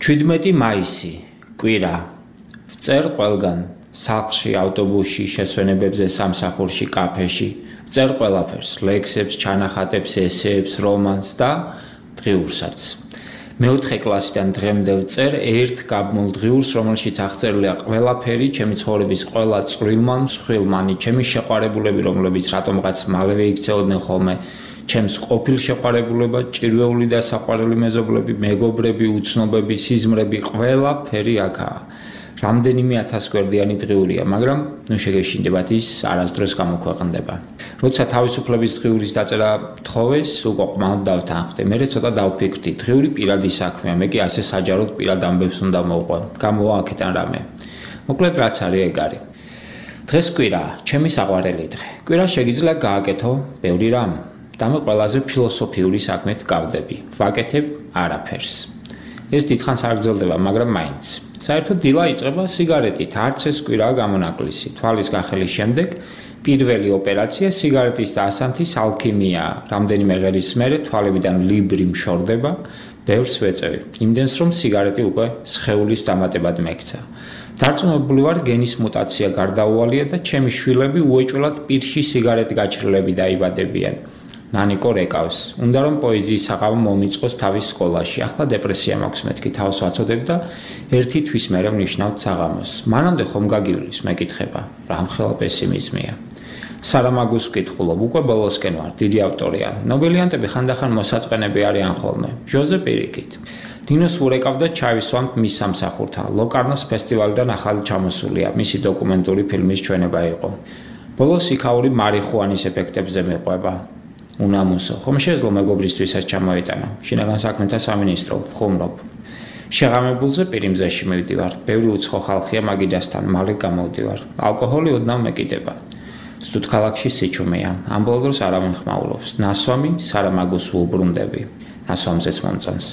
17 მაისი, კვირა. წერ ყველგან, სახლში, ავტობუსში, შესვენებებზე, სამსახურში, კაფეში, წერ ყველაფერს, ლექსებს, ჩანახატებს, ესეებს, რომანს და დღიურსაც. მეოთხე კლასიდან დღემდე ვწერ ერთ გაბმულ დღიურს, რომელშიც აღწერილია ყველაფერი, ჩემი ცხოვრების ყველა წვრილმან, მსხვილმანი, ჩემი შეყვარებულები, რომლებიც რატომღაც მალევე იქცეოდნენ ხოლმე, ჩემს ყოფილ შეყვარებულება, ჭირვეული და საყვარელი მეზობლები, მეგობრები, უცნობები, სიზმრები, ყველაფერი აქაა. რამდენიმე 1000 გვერდიანი დღიურია, მაგრამ ნუ შეგეშინდებათ ის არასდროს გამოქვეყნდება. როცა თავისუფლების დღიურის დაწერა თხოვეს, უკვე ყმად დავთანხმდი. მე ცოტა დავფიქრდი, დღიური პირადი საქმეა, მე კი ასე საჯაროდ პირად ამბებს უნდა მოვყვე. გამოვა აქედან რამე. მოკლედ რაც არის ეგ არის. დღეს კვირაა, ჩემი საყვარელი დღე. კვირა შეგიძლია გააკეთო ბევრი რამ და მე ყველაზე ფილოსოფიური საქმეთ გავდები. ვაკეთებ არაფერს. ეს დიდხანს არ გრძელდება, მაგრამ მაინც. საერთოდ დილა იწყება სიგარეტით, არც ეს კვირაა გამონაკლისი. თვალის გახელის შემდეგ პირველი ოპერაცია სიგარეტის და ასანთის ალქიმიაა. რამდენიმე ღერის მერე თვალებიდან ლიბრი მშორდება, ბევრს ვეწევი. იმდენს რომ სიგარეტი უკვე სხეულის დამატებად მეკცა. დარწმუნებული ვარ, გენის მუტაცია გარდაუვალია და ჩემი შვილები უეჭველად პირში სიგარეტ გაჩრილები დაიბადებიან. ნანიკო რეკავს. უნდა რომ პოეზიის საყავი მომიწყოს თავის სკოლაში. ახლა დეპრესია მაქვს, მეთქი თავს ვაცოდებ და ერთი თვის მერე ვნიშნავთ საღამოს. მანამდე ხომ გაგივლის, მეკითხება. რამხელა პესიმიზმია. სარამაგუს ვკითხულობ, უკვე ბოლოსკენ ვარ, დიდი ავტორია. ნობელიანტები ხანდახან მოსაწყენები არიან ხოლმე. ჟოზე პირიქით. დინოს ვურეკავდა ჩავისვამთ მის სამსახურთან. ლოკარნოს ფესტივალიდან ახალი ჩამოსულია, მისი დოკუმენტური ფილმის ჩვენება იყო. ბოლოს იქაური მარიხუანის ეფექტებზე მიყვება. უნამუსო, ხომ შეეძლო მეგობრისთვისაც ჩამოიტანა. შინაგან საქმეთა სამინისტრო, ვხუმრობ. შეღამებულზე პირიმზეში მივდივარ. ბევრი უცხო ხალხია მაგიდასთან, მალე გამოვდივარ. ალკოჰოლი ოდნავ მეკიდება. სტუდ ქალაქში სიჩუმეა. ამ ბოლო დროს არავინ ხმაურობს. ნასვამი სარამაგუს ვუბრუნდები. ნასვამზეც მომწონს.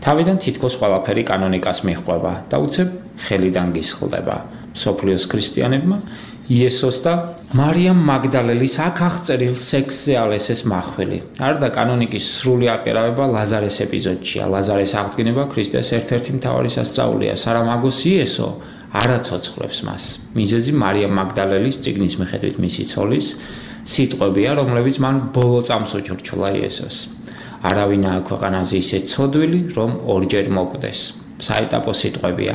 თავიდან თითქოს ყველაფერი კანონიკას მიჰყვება და უცებ ხელიდან გისხლდება. მსოფლიოს ქრისტიანებმა იესოს და მარიამ მაგდალელის აქ აღწერილ სექსზე ალესეს მახვილი. არ და კანონიკის სრული აკერავება ლაზარეს ეპიზოდშია. ლაზარეს აღდგენება ქრისტეს ერთ-ერთი მთავარი სასწაულია. სარამაგოს იესო არა ცოცხლებს მას. მიზეზი მარიამ მაგდალელის წიგნის მიხედვით მისი ცოლის სიტყვებია, რომლებიც მან ბოლო წამს უჩურჩულა იესოს. არავინაა ქვეყანაზე ისე ცოდვილი, რომ ორჯერ მოკვდეს. საეტაპო სიტყვებია.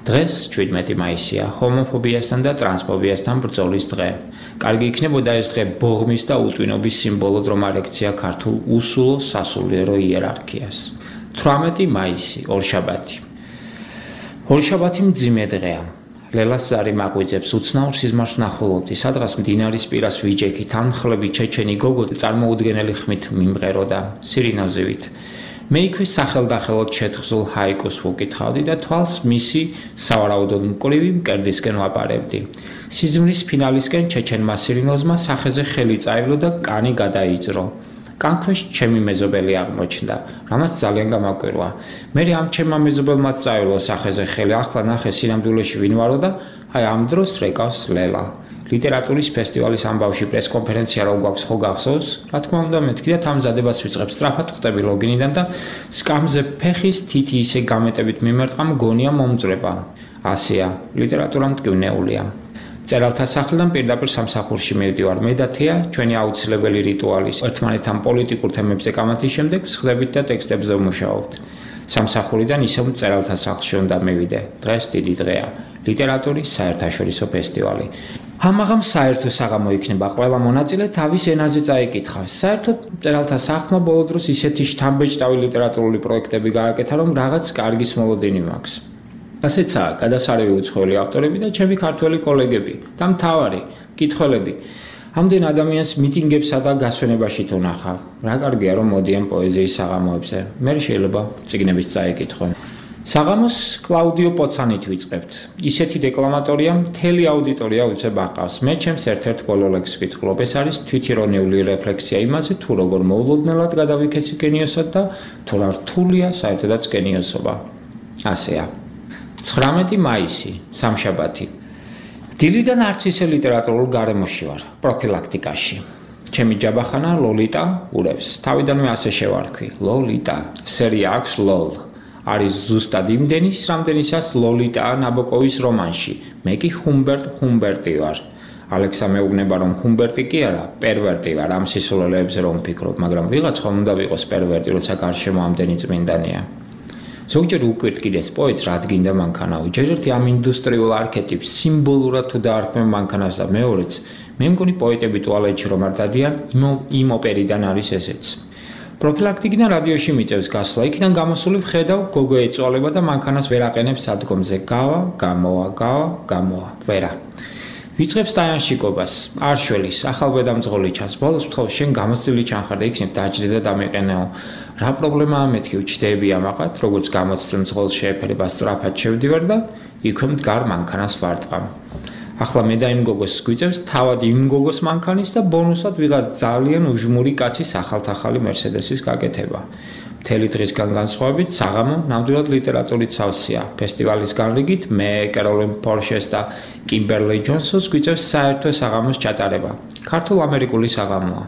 დღეს 17 მაისია, ჰომოფობიასთან და ტრანსფობიასთან ბრძოლის დღე. კარგი იქნებოდა ეს დღე ბოღმის და უტვინობის სიმბოლოდ რომ არ ექცია ქართულ უსულო სასულიერო იერარქიას. 18 მაისი, ორშაბათი. ორშაბათი მძიმე დღეა. ლელას ზარი მაგვიძებს უცნაურ სიზმარს ვნახულობდი, სადღაც მდინარის პირას ვიჯექი, თანმხლები ჩეჩენი გოგო წარმოუდგენელი ხმით მიმღეროდა, სირინოზივით. მე იქვე სახელდახელოდ შეთხზულ ჰაიკუს ვუკითხავდი და თვალს მისი სავარაუდოდ მკვრივი მკერდისკენ ვაპარებდი. სიზმრის ფინალისკენ ჩეჩენმა სირინოზმა სახეზე ხელი წაივლო და კანი გადაიძრო. კანქვეშ ჩემი მეზობელი აღმოჩნდა, რამაც ძალიან გამაკვირვა. მე ამ ჩემმა მეზობელმაც წაივლო სახეზე ხელი, ახლა ნახე სინამდვილეში ვინ ვარო და აი ამ დროს რეკავს ლელა. ლიტერატურის ფესტივალის ამბავში პრესკონფერენცია რო გვაქვს ხო გახსოვს? რა თქმა უნდა მეთქი და თამზადებას ვიწყებ, სწრაფად ხვდები ლოგინიდან და სკამზე ფეხის თითი ისე გამეტებით მიმერტყა მგონია მომწრება. ასეა, ლიტერატურა მტკივნეულია. წერალთა სახლიდან პირდაპირ სამსახურში მივდივარ. მე და თეა ჩვენი აუცილებელი რიტუალის ერთმანეთთან პოლიტიკურ თემებზე კამათის შემდეგ ვსხდებით და ტექსტებზე ვმუშაობთ. სამსახურიდან ისევ წერალთა სახლში უნდა მივიდე. დღეს დიდი დღეა. ლიტერატურის საერთაშორისო ფესტივალი. ამაღამ საერთო საღამო იქნება, ყველა მონაწილე თავის ენაზე წაიკითხავს. საერთოდ მწერალთა სახლმა ბოლო დროს ისეთი შთამბეჭდავი ლიტერატურული პროექტები გააკეთა, რომ რაღაც კარგის მოლოდინი მაქვს. ასეცაა გადასარევი უცხოელი ავტორები და ჩემი ქართველი კოლეგები და მთავარი კითხველები. ამდენ ადამიანს მიტინგებსა და გასვენებაში თუნახავ. რა კარგია რომ მოდიან პოეზიის საღამოებზე. მე შეიძლება წიგნების წაიკითხონ. საღამოს კლაუდიო პოცანით ვიწყებთ. ისეთი დეკლამატორია, მთელი აუდიტორია უცებ აყავს. მე ჩემს ერთ-ერთ ბოლო ლექსს ვკითხულობ. ეს არის თვითირონიული რეფლექსია იმაზე, თუ როგორ მოულოდნელად გადავიქეცი გენიოსად და თუ რა რთულია საერთოდაც გენიოსობა. ასეა. 19 მაისი, სამშაბათი. დილიდან არც ისე ლიტერატურულ გარემოში ვარ, პროფილაქტიკაში. ჩემი ჯაბახანა ლოლიტა ურევს. თავიდანვე ასე შევარქვი. ლოლიტა, სერია აქვს ლოლ. არის ზუსტად იმდენის, რამდენისაც ლოლიტაა ნაბოკოვის რომანში. მე კი ჰუმბერტი ვარ. ალექსა მეუბნება, რომ ჰუმბერტი კი არა, პერვერტი ვარ. ამ სისულელეებზე რომ ვფიქრობ, მაგრამ ვიღაც ხომ უნდა ვიყოს პერვერტი, როცა გარშემო ამდენი წმინდანია. ზოგჯერ უკვირტკიდეს პოეტს რა დგინდა მანქანავი. ჯერ ერთი ამ ინდუსტრიულ არქეტიპს სიმბოლურად თუ დაარქმევ მანქანას და მეორეც, მე მგონი პოეტები ტუალეტში რომ არ დადიან, იმ ოპერიდან არის ესეც. პროფილაქტიკიდან რადიოში მიწევს გასვლა, იქიდან გამოსული ვხედავ, გოგო ეწვალება და მანქანას ვერ აყენებს სადგომზე. გამოვა, ვერა. ვიწყებს დაიანშიკობას, არშველის, ახალბედამძღოლი ჩანს. ბოლოს ვთხოვს, შენ გამოცდილი ჩანხარ და იქნებ დაჯდე და დამეყენეო. რა პრობლემაა მეთქი, ვჩდები ამაყად, როგორც გამოცდილ მძღოლს შეეფერება სწრაფად შევდივარ და იქვე მდგარ მანქანას ვარტყამ. ახლა მე და იმ გოგოს გვიწევს თავად იმ გოგოს მანქანის და ბონუსად ვიღაც ძალიან უჟმური კაცის ახალ-ახალი მერსედესის გაკეთება. მთელი დღისგან განსხვავებით, საღამო ნამდვილად ლიტერატურით სავსეა. ფესტივალის განრიგით მე, კეროლინ პორშეს და კიმბერლი ჯონსონს გვიწევს საერთო საღამოს ჩატარება. ქართულ-ამერიკული საღამოა.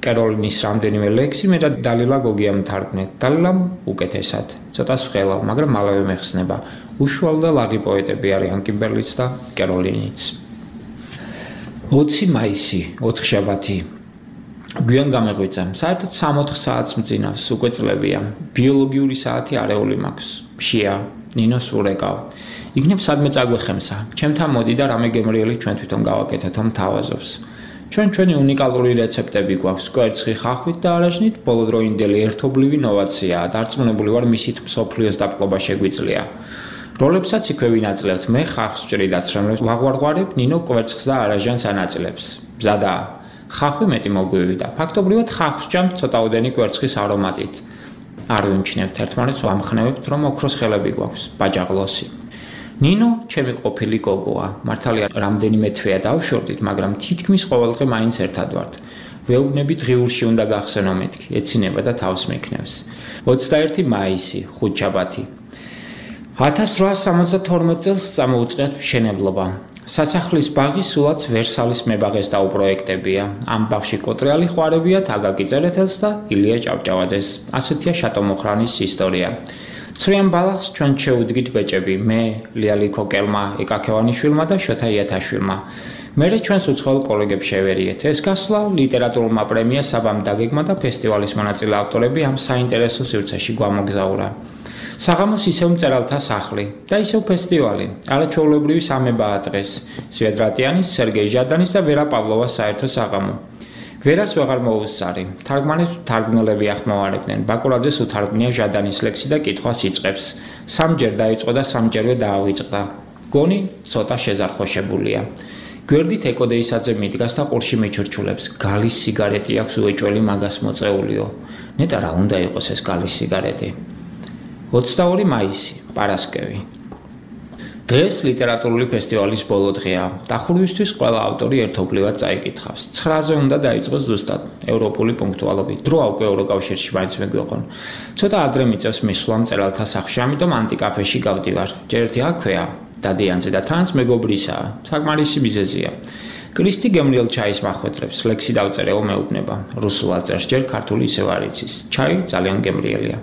კეროლინის რამდენიმე ლექსი მე და დალილა გოგიამ თარგმნეთ. დალილამ უკეთესად. ცოტას ვხელავ, მაგრამ მალევე მეხსნება. უშუალო და ლაღი პოეტები არიან კიმბერლიც და კეროლინიც. 20 მაისი, 4 შაბათი. გვიან გამეღვიძა. საერთოდ 3-4 საათს მძინავს, უკვე წლებია. ბიოლოგიური საათი არეული მაქვს. მშია, ნინოს ურეკავ. იქნებ სადმე წაგვეხემსა. ჩემთან მოდი და რამე გემრიელი ჩვენ თვითონ გავაკეთეთ, რომ თავაზობს. ჩვენი უნიკალური რეცეპტები გვაქვს, კვერცხი ხახვით და არაჟნით, ბოლოდროინდელი ერთობლივი ნოვაციაა. დარწმუნებული ვარ, მისით მსოფლიოს დაპყრობა შეგვიძლია. როლებსაც იქვე ვინაწილებთ, მე ხახს ვჭრი დაცრემლებს, ვაღვარღვარებ ნინო კვერცხს და არაჟანს ანაწილებს. მზადაა. ხახვი მეტი მოგვივიდა და ფაქტობრივად ხახს ჭამთ ცოტაოდენი კვერცხის არომატით. არ ვიმჩნევთ ერთმანეთს, ვამხნევებთ, რომ ოქროს ხელები გვაქვს, ბაჯაღლოსი. ნინო ჩემი ყოფილი გოგოა. მართალია რამდენიმე თვეა დავშორდით, მაგრამ თითქმის ყოველდღე მაინც ერთად ვართ. ვეუბნებით ღიურში უნდა გახსენო მეთქი, ეცინება და თავს მექნევს. 21 მაისი, ხუთშაბათი. 1872 წელს წამოუწყეთ მშენებლობა. სასახლის ბაღი სულაც ვერსალის მებაღეს დაუპროექტებია. ამ ბაღში კოტრიალი ხვარებიათ აგაკი წერეთელს და ილია ჭავჭავაძეს. ასეთია შატომოხრანის ისტორია. ცრიან ბალახს ჩვენ შეუდგით ბეჭები, მე, ლიალი ქოკელმა, ეკაქევანიშვილმა და შოთა იათაშვილმა. მერე ჩვენს უცხოელ კოლეგებს შევერიეთ. ეს გასვლა ლიტერატურულმა პრემია საბამ დაგეგმა და ფესტივალის მონაწილე ავტორები ამ საინტერესო სივრცეში გვამოგზაურა. საღამოს ისევ მწერალთა სახლი და ისევ ფესტივალი. არაჩვეულებრივი სამებაა დღეს. სვიადრატიანის, სერგეი ჟადანის და ვერა პავლოვას საერთო საღამო. ვერას ვეღარ მოუსწარი. თარგმანებს თარგმნელები ახმოვანებდნენ. ბაკურაძეს უთარგმნია ჟადანის ლექსი და კითხვას იწყებს. სამჯერ დაიწყო და სამჯერვე დაავიწყდა. გონი ცოტა შეზარხოშებულია. გვერდით ეკოდეისაძე მიდგას და ყურში მიჩურჩულებს. გალის სიგარეტი აქვს უეჭველი მაგას მოწეულიო. ნეტა რა უნდა იყოს ეს გალის სიგარეტი. 22 მაისი, პარასკევი. დღეს ლიტერატურული ფესტივალის ბოლო დღეა. დახურვისთვის ყველა ავტორი ერთობლივად წაიკითხავს. 9-ზე უნდა დაიწყოს ზუსტად ევროპული პუნქტუალობით. დრო უკვე ევროკავშირში მაინც მეგვიყონ. ცოტა ადრე მიწევს მისვლა მწერალთა სახლში, ამიტომ ანტიკაფეში გავდივარ. ჯერ ერთი აქვეა, დადიანზე და თანაც მეგობრისაა. საკმარისი მიზეზია. კრისტი გემრიელ ჩაის მახვედრებს, ლექსი დავწერეო მეუბნება. რუსულად წერს, ჯერ ქართული ისევ არ იცის. ჩაი ძალიან გემრიელია.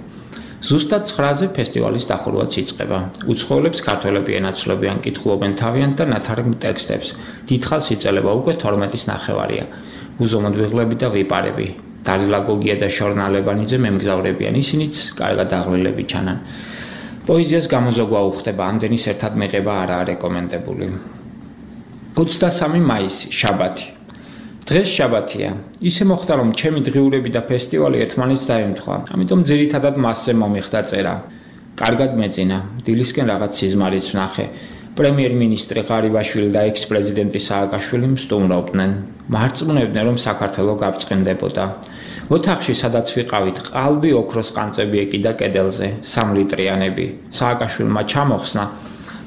ზუსტად 9-ზე ფესტივალის დახურვაც იწყება. უცხოელებს ქართველები ენაცვლებიან, კითხულობენ თავიანთ და ნათარგმნ ტექსტებს. დიდხანს იწელება, უკვე 12-ის ნახევარია. უზომოდ ვიღლები და ვიპარები. დალილა გოგია და შორნა ლებანიძე მემგზავრებიან, ისინიც კარგად აღვლილები ჩანან. პოეზიას გამოზოგვა უხდება, ამდენის ერთად მიღება არაა რეკომენდებული. 23 მაისი, შაბათი. დღეს შაბათია. ისე მოხდა, რომ ჩემი დღიურები და ფესტივალი ერთმანეთს დაემთხვა. ამიტომ ძირითადად მასზე მომიხდა წერა. კარგად მეძინა. დილისკენ რაღაც სიზმარიც ვნახე. პრემიერ-მინისტრი ღარიბაშვილი და ექს-პრეზიდენტი სააკაშვილი მსტუმრობდნენ. მარწმუნებდნენ, რომ საქართველო გაბწყინდებოდა. ოთახში, სადაც ვიყავით, ყალბი ოქროს ყანწები ეკიდა კედელზე, 3 ლიტრიანები. სააკაშვილმა ჩამოხსნა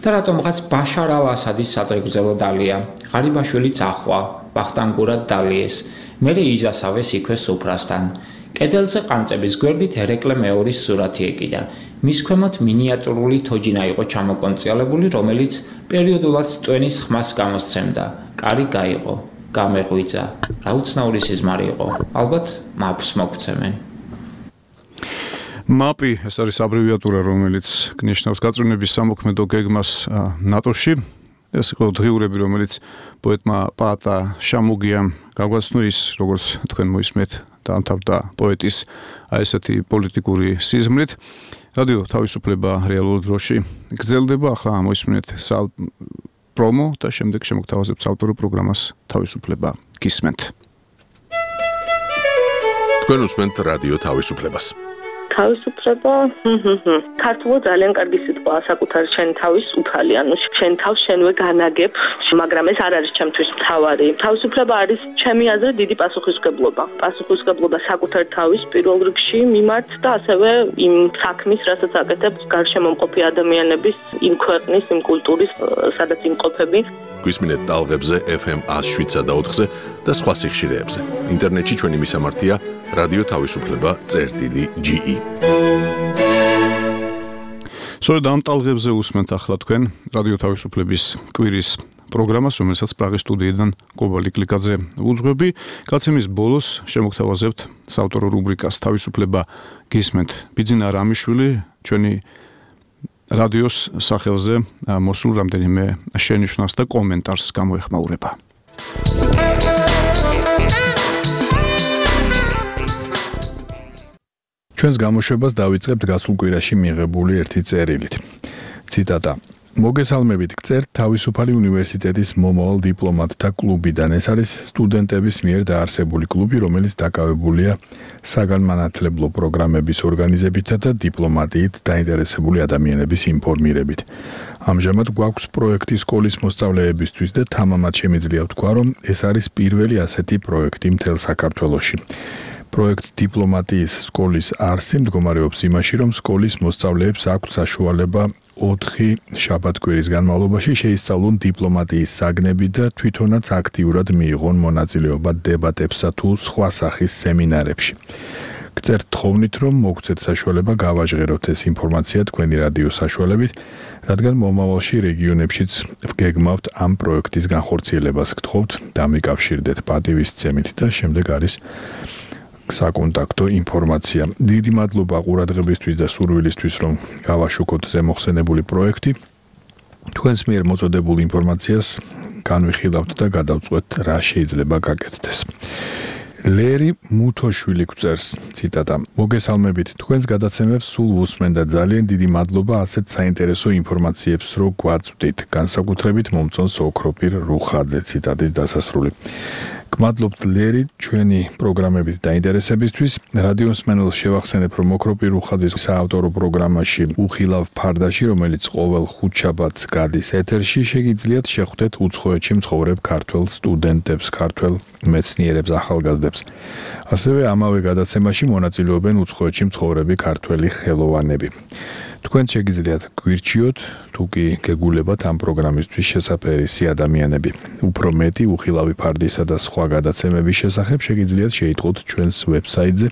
და რატომღაც ბაშარ ალ-ასადის სადღეგრძელო დალია. ღარიბაშვილიც ახვა, ვახტანგურად დალიეს. მერე იზასავეს იქვე სუფრასთან. კედელზე ყანწების გვერდით ერეკლე მეორის სურათი ეკიდა. მის ქვემოთ მინიატურული თოჯინა იყო ჩამოკონციალებული, რომელიც პერიოდულად ტვენის ხმას გამოსცემდა. კარი გაიყო. გამეღვიძა. რა უცნაური სიზმარი იყო. ალბათ მაპს მოგცემენ.
მაპი ეს არის აბრევიატურა, რომელიც გნიშნავს გაწვრთნების სამოქმედო გეგმას ნატოში. ეს იყო დღიურები, რომელიც პოეტმა პაატა შამუგიამ გაგვაცნო, ის როგორც თქვენ მოისმენთ, დაამთავრდა პოეტის ესეთი პოლიტიკური სიზმრით. რადიო თავისუფლება რეალურ დროში გრძელდება. ახლა მოისმენთ პრომო და შემდეგ შემოგთავაზებთ ავტორო პროგრამას თავისუფლება გისმენთ.
თქვენ უსმენთ რადიო თავისუფლებას.
თავისუფლება ქართულად ძალიან კარგი სიტყვაა, საკუთარი შენი თავის უფალი, ანუ შენ თავს შენვე განაგებ, მაგრამ ეს არ არის ჩემთვის მთავარი. თავისუფლება არის ჩემი აზრით დიდი პასუხისმგებლობა. პასუხისმგებლობა საკუთარი თავის პირველ რიგში მიმართ და ასევე იმ საქმის, რასაც აკეთებს გარშემო მყოფი ადამიანების, იმ ქვეყნის, იმ კულტურის, სადაც იმყოფები.
გვისმინეთ ტალღებზე FM 107.4-ზე და სხვა სიხშირეებზე. ინტერნეტში ჩვენი მისამართია რადიო თავისუფლება.ge.
სწორედ ამ ტალღებზე უსმენთ ახლა თქვენ რადიო თავისუფლების კვირის პროგრამას, რომელსაც პრაღის სტუდიიდან კობალი კლიკაძე უძღვები. გაცემის ბოლოს შემოგთავაზებთ საავტორო რუბრიკას თავისუფლება გისმენთ. ბიძინა რამიშვილი ჩვენი რადიოს სახელზე მოსულ რამდენიმე შენიშვნას და კომენტარს გამოეხმაურება.
ჩვენს გამოშვებას დავიწყებთ გასულ კვირაში მიღებული ერთი წერილით. ციტატა: მოგესალმებით, გწერთ თავისუფალი უნივერსიტეტის მომავალ დიპლომატთა კლუბიდან. ეს არის სტუდენტების მიერ დაარსებული კლუბი, რომელიც დაკავებულია საგანმანათლებლო პროგრამების ორგანიზებითა და დიპლომატიით დაინტერესებული ადამიანების ინფორმირებით. ამჟამად გვაქვს პროექტი სკოლის მოსწავლეებისთვის და თამამად შემიძლია ვთქვა, რომ ეს არის პირველი ასეთი პროექტი მთელ საქართველოში. პროექტ დიპლომატიის სკოლის არსი მდგომარეობს იმაში, რომ სკოლის მოსწავლეებს აქვს საშუალება 4 შაბათ-კვირის განმავლობაში შეისწავლონ დიპლომატიის საგნები და თვითონაც აქტიურად მიიღონ მონაწილეობა დებატებსა თუ სხვა სახის სემინარებში. გწერთ თხოვნით, რომ მოგცეთ საშუალება გავაჟღეროთ ეს ინფორმაცია თქვენი რადიოს საშუალებით, რადგან მომავალში რეგიონებშიც ვგეგმავთ ამ პროექტის განხორციელებას. გთხოვთ, დამიკავშირდეთ პატივისცემით და შემდეგ არის საკონტაქტო ინფორმაცია. დიდი მადლობა ყურადღებისთვის და სურვილისთვის, რომ გავაშუქოთ ზემოხსენებული პროექტი. თქვენს მიერ მოწოდებულ ინფორმაციას განვიხილავთ და გადავწყვეტ, რა შეიძლება გაკეთდეს. ლერი მუთოშვილი გვწერს, ციტატა: მოგესალმებით, თქვენს გადაცემებს სულ უსმენ და ძალიან დიდი მადლობა ასეთ საინტერესო ინფორმაციებს, რო გვაწვდით. განსაკუთრებით მომწონს ოქროპირ რუხაძე, ციტატის დასასრული. გმადლობთ ლერი ჩვენი პროგრამებით დაინტერესებისთვის. რადიო მსმენელს შევახსენებ, რომ ოქროპირ რუხაძის საავტორო პროგრამაში უხილავ ფარდაში, რომელიც ყოველ ხუთშაბათს გადის ეთერში, შეგიძლიათ შეხვდეთ უცხოეთში მცხოვრებ ქართველ სტუდენტებს, ქართველ მეცნიერებს, ახალგაზრდებს. ასევე ამავე გადაცემაში მონაწილეობენ უცხოეთში მცხოვრები ქართველი ხელოვანები. თქვენ შეგიძლიათ გვირჩიოთ, თუ კი გეგულებათ ამ პროგრამისთვის შესაძლებელი ადამიანები. უფრო მეტი უხილავი ფარდისა და სხვა გადაცემების შესახებ შეგიძლიათ შეიტყოთ ჩვენს ვებსაიტზე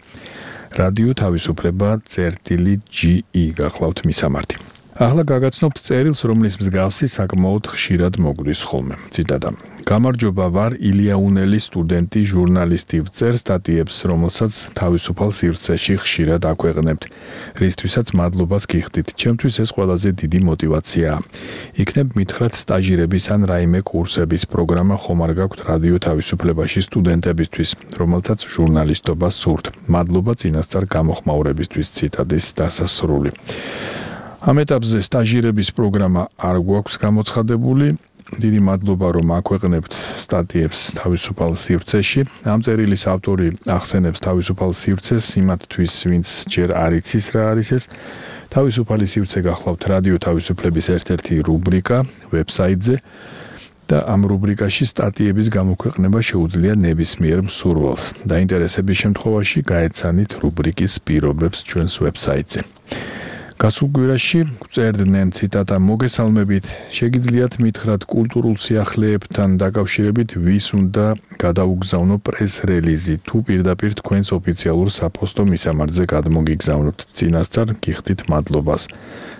რადიო თავისუფლება.ge გახლავთ მისამართი. ახლა გაგაცნობთ წერილს, რომლის მსგავსი საკმაოდ ხშირად მოგვდის ხოლმე. ციტატა: გამარჯობა, ვარ ილიაუნელი სტუდენტი, ჟურნალისტი, ვწერ სტატიებს, რომელსაც თავისუფალ სივრცეში ხშირად აქვეყნებთ. რისთვისაც მადლობას გიხდით. ჩემთვის ეს ყველაზე დიდი мотиваციაა. იქნებ მითხრათ სტაჟირების ან რაიმე კურსების პროგრამა ხომ არ გაქვთ რადიო თავისუფლებაში სტუდენტებისთვის, რომელთაც ჟურნალისტობა სურთ. მადლობა წინასწარ გამოხმაურებისთვის. ციტატის დასასრული. ამ ეტაპზე სტაჟირების პროგრამა არ გვაქვს გამოცხადებული. დიდი მადლობა რომ აქვეყნებთ სტატიებს თავისუფალ სივრცეში. ამ წერილის ავტორი ახსენებს თავისუფალ სივრცეს იმათთვის, ვინც ჯერ არ იცის რა არის ეს. თავისუფალი სივრცე გახლავთ რადიო თავისუფლების ერთ-ერთი რუბრიკა ვებსაიტზე და ამ რუბრიკაში სტატიების გამოქვეყნება შეუძლია ნებისმიერ მსურველს. დაინტერესების შემთხვევაში გაეცანით რუბრიკის პირობებს ჩვენს ვებსაიტზე. გასულ კვირაში გვწერდნენ ციტატა მოგესალმებით, შეგიძლიათ მითხრათ კულტურულ სიახლეებთან დაკავშირებით ვის უნდა გადაუგზავნო პრეს-რელიზი თუ პირდაპირ თქვენს ოფიციალურ საფოსტო მისამართზე გადმოგიგზავნოთ. წინასწარ გიხდით მადლობას.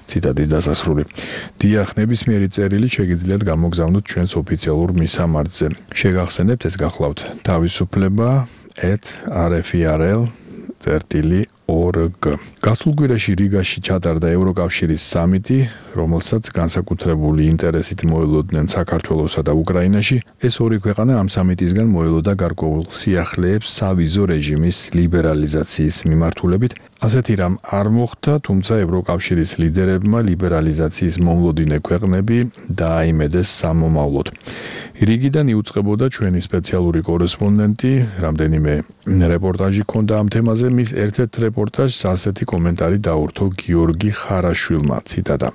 ციტატის დასასრული. დიახ, ნებისმიერი წერილი შეგიძლიათ გამოგზავნოთ ჩვენს ოფიციალურ მისამართზე. შეგახსენებთ ეს გახლავთ თავისუფლება@rfirl.org. გასულ კვირაში რიგაში ჩატარდა ევროკავშირის სამიტი, რომელსაც განსაკუთრებული ინტერესით მოელოდნენ საქართველოსა და უკრაინაში. ეს ორი ქვეყანა ამ სამიტისგან მოელოდა გარკვეულ სიახლეებს სავიზო რეჟიმის ლიბერალიზაციის მიმართულებით. ასეთი რამ არ მოხდა, თუმცა ევროკავშირის ლიდერებმა ლიბერალიზაციის მომლოდინე ქვეყნები დააიმედეს სამომავლოდ. რიგიდან იუწყებოდა ჩვენი სპეციალური კორესპონდენტი, რამდენიმე რეპორტაჟი ჰქონდა ამ თემაზე, მის ერთ-ერთ რეპორტაჟს ასეთი კომენტარი დაურთო გიორგი ხარაშვილმა, ციტატა.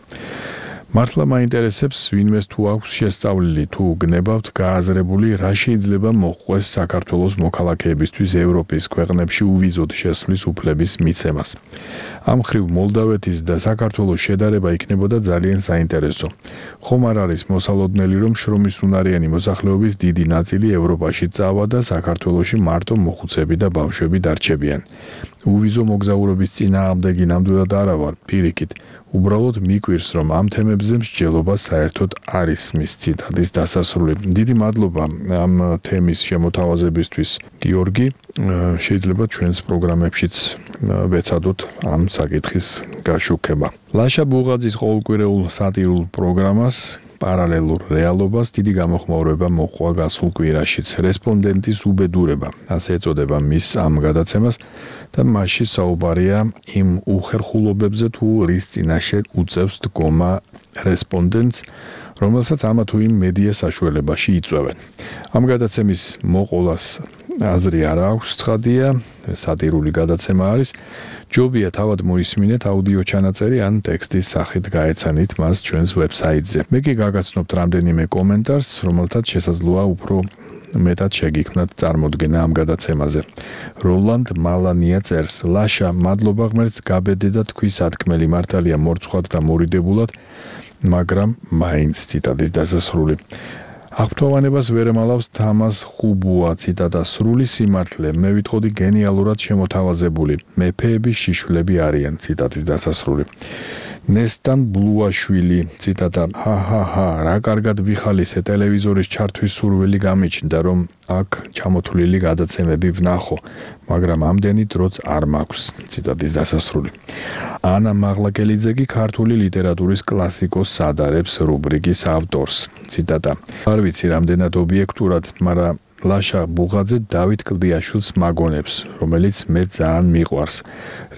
მართლა მაინტერესებს, ვინმეს თუ აქვს შესწავლილი, თუ გნებავთ გააზრებული, რა შეიძლება მოჰყვეს საქართველოს მოქალაქეებისთვის ევროპის ქვეყნებში უვიზოდ შესვლის უფლების მიცემას. ამ მხრივ მოლდავეთის და საქართველოს შედარება იქნებოდა ძალიან საინტერესო. ხომ არ არის მოსალოდნელი, რომ შრომის უნარიანი მოსახლეობის დიდი ნაწილი ევროპაში წავა და საქართველოში მარტო მოხუცები და ბავშვები დარჩებიან. უვიზო მოგზაურობის წინააღმდეგი ნამდვილად არა ვარ, პირიქით. უბრალოდ მიკვირს, რომ ამ თემებზე მსჯელობა საერთოდ არის მის ციტატის დასასრული. დიდი მადლობა ამ თემის შემოთავაზებისთვის, გიორგი. შეიძლება ჩვენს პროგრამებშიც ვეცადოთ ამ საკითხის გაშუქება. ლაშა ბუღაძის ყოველკვირეულ სატირულ პროგრამას პარალელურ რეალობას დიდი გამოხმაურება მოჰყვა გასულ კვირაშიც. რესპონდენტის უბედურება, ასე ეწოდება მის ამ გადაცემას და მასში საუბარია იმ უხერხულობებზე თუ რის წინაშე უწევს დგომა რესპონდენტს, რომელსაც ამა თუ იმ მედია საშუალებაში იწვევენ. ამ გადაცემის მოყოლას აზრი არ აქვს ცხადია, სატირული გადაცემა არის. ჯობია თავად მოისმინეთ აუდიო ჩანაწერი ან ტექსტის სახით გაეცანით მას ჩვენს ვებსაიტზე. მე კი გაგაცნობთ რამდენიმე კომენტარს, რომელთაც შესაძლოა უფრო მეტად შეგიქმნათ წარმოდგენა ამ გადაცემაზე. როლანდ მალანია წერს: ლაშა, მადლობა ღმერთს გაბედე და თქვი სათქმელი, მართალია მორცხვად და მორიდებულად, მაგრამ მაინც ციტატის დასასრული. აღფრთოვანებას ვერ ემალავს თამას ხუბუა, ციტატა სრული სიმართლე, მე ვიტყოდი გენიალურად შემოთავაზებული, მეფეების შიშვლები არიან, ციტატის დასასრული. ნესტან ბლუაშვილი, ციტატა, ჰა, რა კარგად ვიხალისე, ტელევიზორის ჩართვის სურვილი გამიჩნდა, რომ აქ ჩამოთვლილი გადაცემები ვნახო, მაგრამ ამდენი დროც არ მაქვს, ციტატის დასასრული. ანა მაღლაკელიძე კი ქართული ლიტერატურის კლასიკოს ადარებს რუბრიკის ავტორს, ციტატა. არ ვიცი რამდენად ობიექტურად, მაგრამ ლაშა ბუღაძე დავით კლდიაშვილს მაგონებს, რომელიც მე ძალიან მიყვარს.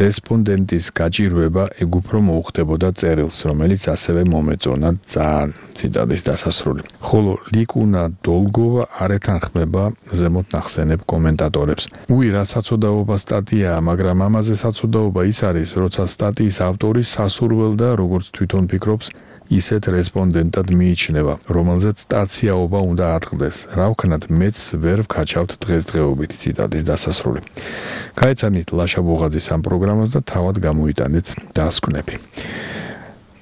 რესპონდენტის გაჭირვება ეგ უფრო მოუხდებოდა წერილს, რომელიც ასევე მომეწონა ძალიან, ციტატის დასასრული. ხოლო ლიკუნა დოლგოვა არ ეთანხმება ზემოთ ნახსენებ კომენტატორებს. უი, რა საცოდაობა სტატიაა, მაგრამ ამაზე საცოდაობა ის არის, როცა სტატიის ავტორი სასურველ და როგორც თვითონ ფიქრობს, ისეთ რესპონდენტად მიიჩნევა, რომელზეც სტაციაობა უნდა ატყდეს. რა ვქნათ, მეც ვერ ვქაჩავთ დღესდღეობით, ციტატის დასასრული. გაეცანით ლაშა ბუღაძის ამ პროგრამას და თავად გამოიტანეთ დასკვნები.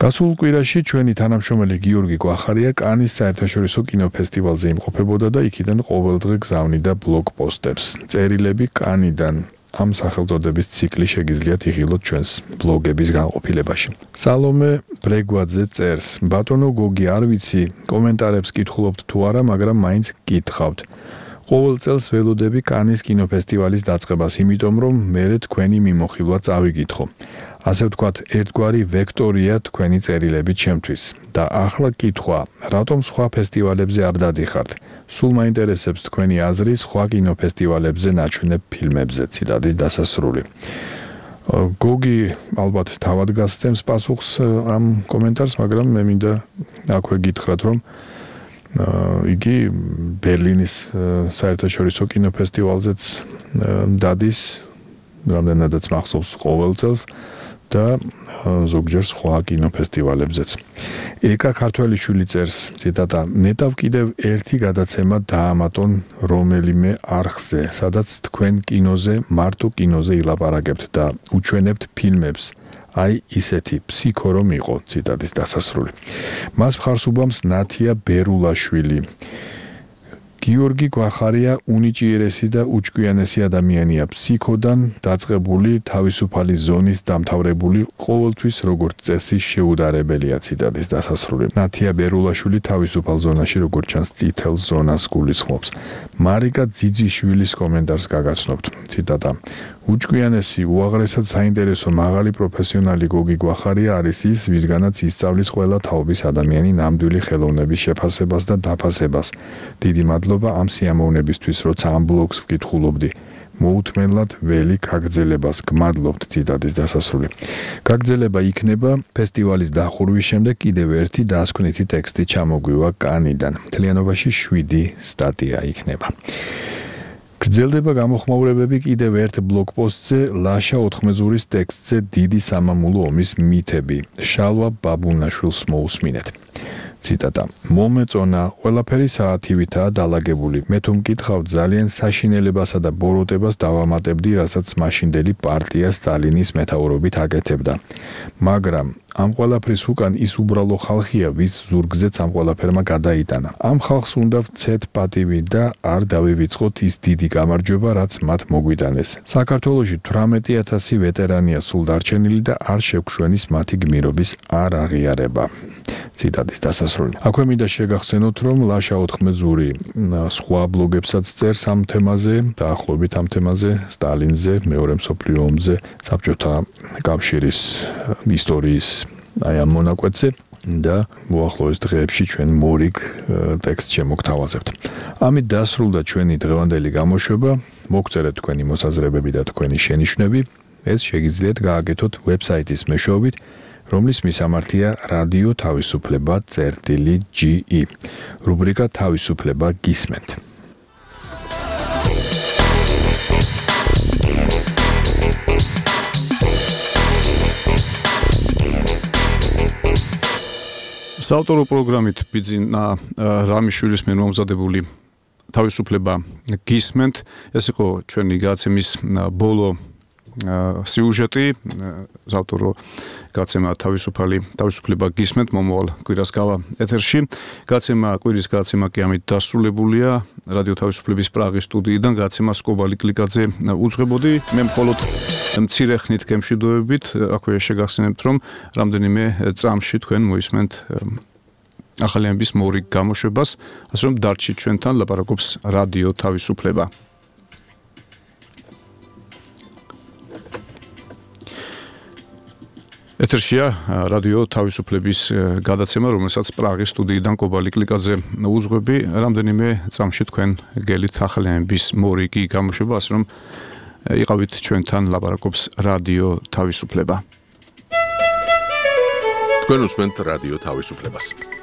გასულ კვირაში ჩვენი თანამშრომელი გიორგი კვახარია კანის საერთაშორისო კინოფესტივალზე იმყოფებოდა და იქიდან ყოველდღე გზავნიდა ბლოგ პოსტებს. წერილები კანიდან. ამ სახელწოდების ციკლი შეგიძლიათ იღილოთ ჩვენს ბლოგების განყოფილებაში. სალომე ბრეგვაძე წერს: ბატონო გოგი, არ ვიცი, კომენტარებს კითხულობთ თუ არა, მაგრამ მაინც გითხავთ. ყოველ წელს ველოდები კანის კინოფესტივალის დაწყებას, იმიტომ რომ მერე თქვენი მიმოხილვა წავიკითხო. ასე ვთქვათ, ერთგვარი ვექტორია თქვენი წერილები ჩემთვის. და ახლა კითხვა, რატომ სხვა ფესტივალებზე არ დადიხართ? სულ მაინტერესებს თქვენი აზრი სხვა კინოფესტივალებზე ნაჩვენებ ფილმებზე, ციტატის დასასრული. გოგი ალბათ თავად გასცემს პასუხს ამ კომენტარს, მაგრამ მე მინდა აქვე გითხრათ, რომ იგი ბერლინის საერთაშორისო კინოფესტივალზეც დადის, რამდენადაც მახსოვს ყოველ წელს და ზოგჯერ სხვა კინოფესტივალებზეც. ეკა ქართველიშვილი წერს, ციტატა: "ნეტავ კიდევ ერთი გადაცემა დაამატონ რომელიმე არხზე, სადაც თქვენ კინოზე, მარტო კინოზე ილაპარაკებთ და უჩვენებთ ფილმებს. აი ისეთი ფსიქო რომ იყო", ციტატის დასასრული. მას მხარს უბამს ნათია ბერულაშვილი. გიორგი გვახარია უნიჭიერესი და უჭკვიანესი ადამიანია, ფსიქოდან დაწყებული, თავისუფალი ზონით დამთავრებული, ყოველთვის როგორც წესი შეუდარებელია, ციტატის დასასრული. ნათია ბერულაშვილი თავისუფალ ზონაში როგორც ჩანს წითელ ზონას გულისხმობს. მარიკა ძიძიშვილის კომენტარს გაგაცნობთ, ციტატა: "უჭკვიანესი, უაღრესად საინტერესო, მაღალი პროფესიონალი გოგი გვახარია არის ის, ვისგანაც ისწავლის ყველა თაობის ადამიანი ნამდვილი ხელოვნების შეფასებას და დაფასებას. დიდი მადლობა ამ სიამოვნებისთვის, როცა ამ ბლოგს ვკითხულობდი. მოუთმენლად ველი გაგრძელებას, გმადლობთ", ციტატის დასასრული. გაგრძელება იქნება ფესტივალის დახურვის შემდეგ კიდევ ერთი დასკვნითი ტექსტი ჩამოგვივა კანიდან. მთლიანობაში 7 სტატია იქნება. გრძელდება გამოხმაურებები კიდევ ერთ ბლოგპოსტზე ლაშა ოთხმეზურის ტექსტზე დიდი სამამულო ომის მითები. შალვა ბაბუნაშვილს მოусმინეთ. ციტატა: "მომეწონა, ყველაფერი საათივითაა დალაგებული. მე თუ მკითხავთ, ძალიან საშინელებასა და ბოროტებას დავამატებდი, რასაც მაშინდელი პარტია სტალინის მეთაურობით აკეთებდა. მაგრამ ამ ყველაფრის უკან ის უბრალო ხალხია, ვის ზურგზეც ამ ყველაფერმა გადაიტანა. ამ ხალხს უნდა ვცეთ პატივი და არ დავივიწყოთ ის დიდი გამარჯვება, რაც მათ მოგვიტანეს. საქართველოში 18,000 ვეტერანია სულ დარჩენილი და არ შეგშვენის მათი გმირობის არ აღიარება", ციტატის დასასრული. აქვე მინდა შეგახსენოთ, რომ ლაშა ოთხმეზური სხვა ბლოგებსაც წერს ამ თემაზე, დაახლოებით ამ თემაზე, სტალინზე, მეორე მსოფლიო ომზე, საბჭოთა კავშირის ისტორიის აი ამ მონაკვეთზე და მოახლოეს დღეებში ჩვენ მორიგ ტექსტს შემოგთავაზებთ. ამით დასრულდა ჩვენი დღევანდელი გამოშვება. მოგწერეთ თქვენი მოსაზრებები და თქვენი შენიშვნები. ეს შეგიძლიათ გააკეთოთ ვებსაიტის მეშვეობით, რომლის მისამართია რადიო თავისუფლება.ge. რუბრიკა თავისუფლება გისმენთ.
საავტორო პროგრამით ბიძინა რამიშვილის მიერ მომზადებული თავისუფლება გისმენთ. ეს იყო ჩვენი გადაცემის ბოლო სიუჟეტი. საავტორო გადაცემა თავისუფლება გისმენთ მომავალ კვირას გავა ეთერში. კვირის გადაცემა კი ამით დასრულებულია. რადიო თავისუფლების პრაღის სტუდიიდან გადაცემა სკობალი კლიკაძე უძღვებოდი. მე მხოლოდ მცირე ხნით გემშვიდობებით აქვე შეგახსენებთ, რომ რამდენიმე წამში თქვენ მოისმენთ ახალიანების მორიგ გამოშვებას, ასე რომ დარჩით ჩვენთან, ლაპარაკობს რადიო თავისუფლება. ეთერშია რადიო თავისუფლების გადაცემა, რომელსაც პრაღის სტუდიიდან კობალი კლიკაძე უძღვები. რამდენიმე წამში თქვენ გელით ახალიანების მორიგი გამოშვება, ასე რომ იყავით ჩვენთან, ლაპარაკობს რადიო თავისუფლება.
თქვენ უსმენთ რადიო თავისუფლებას.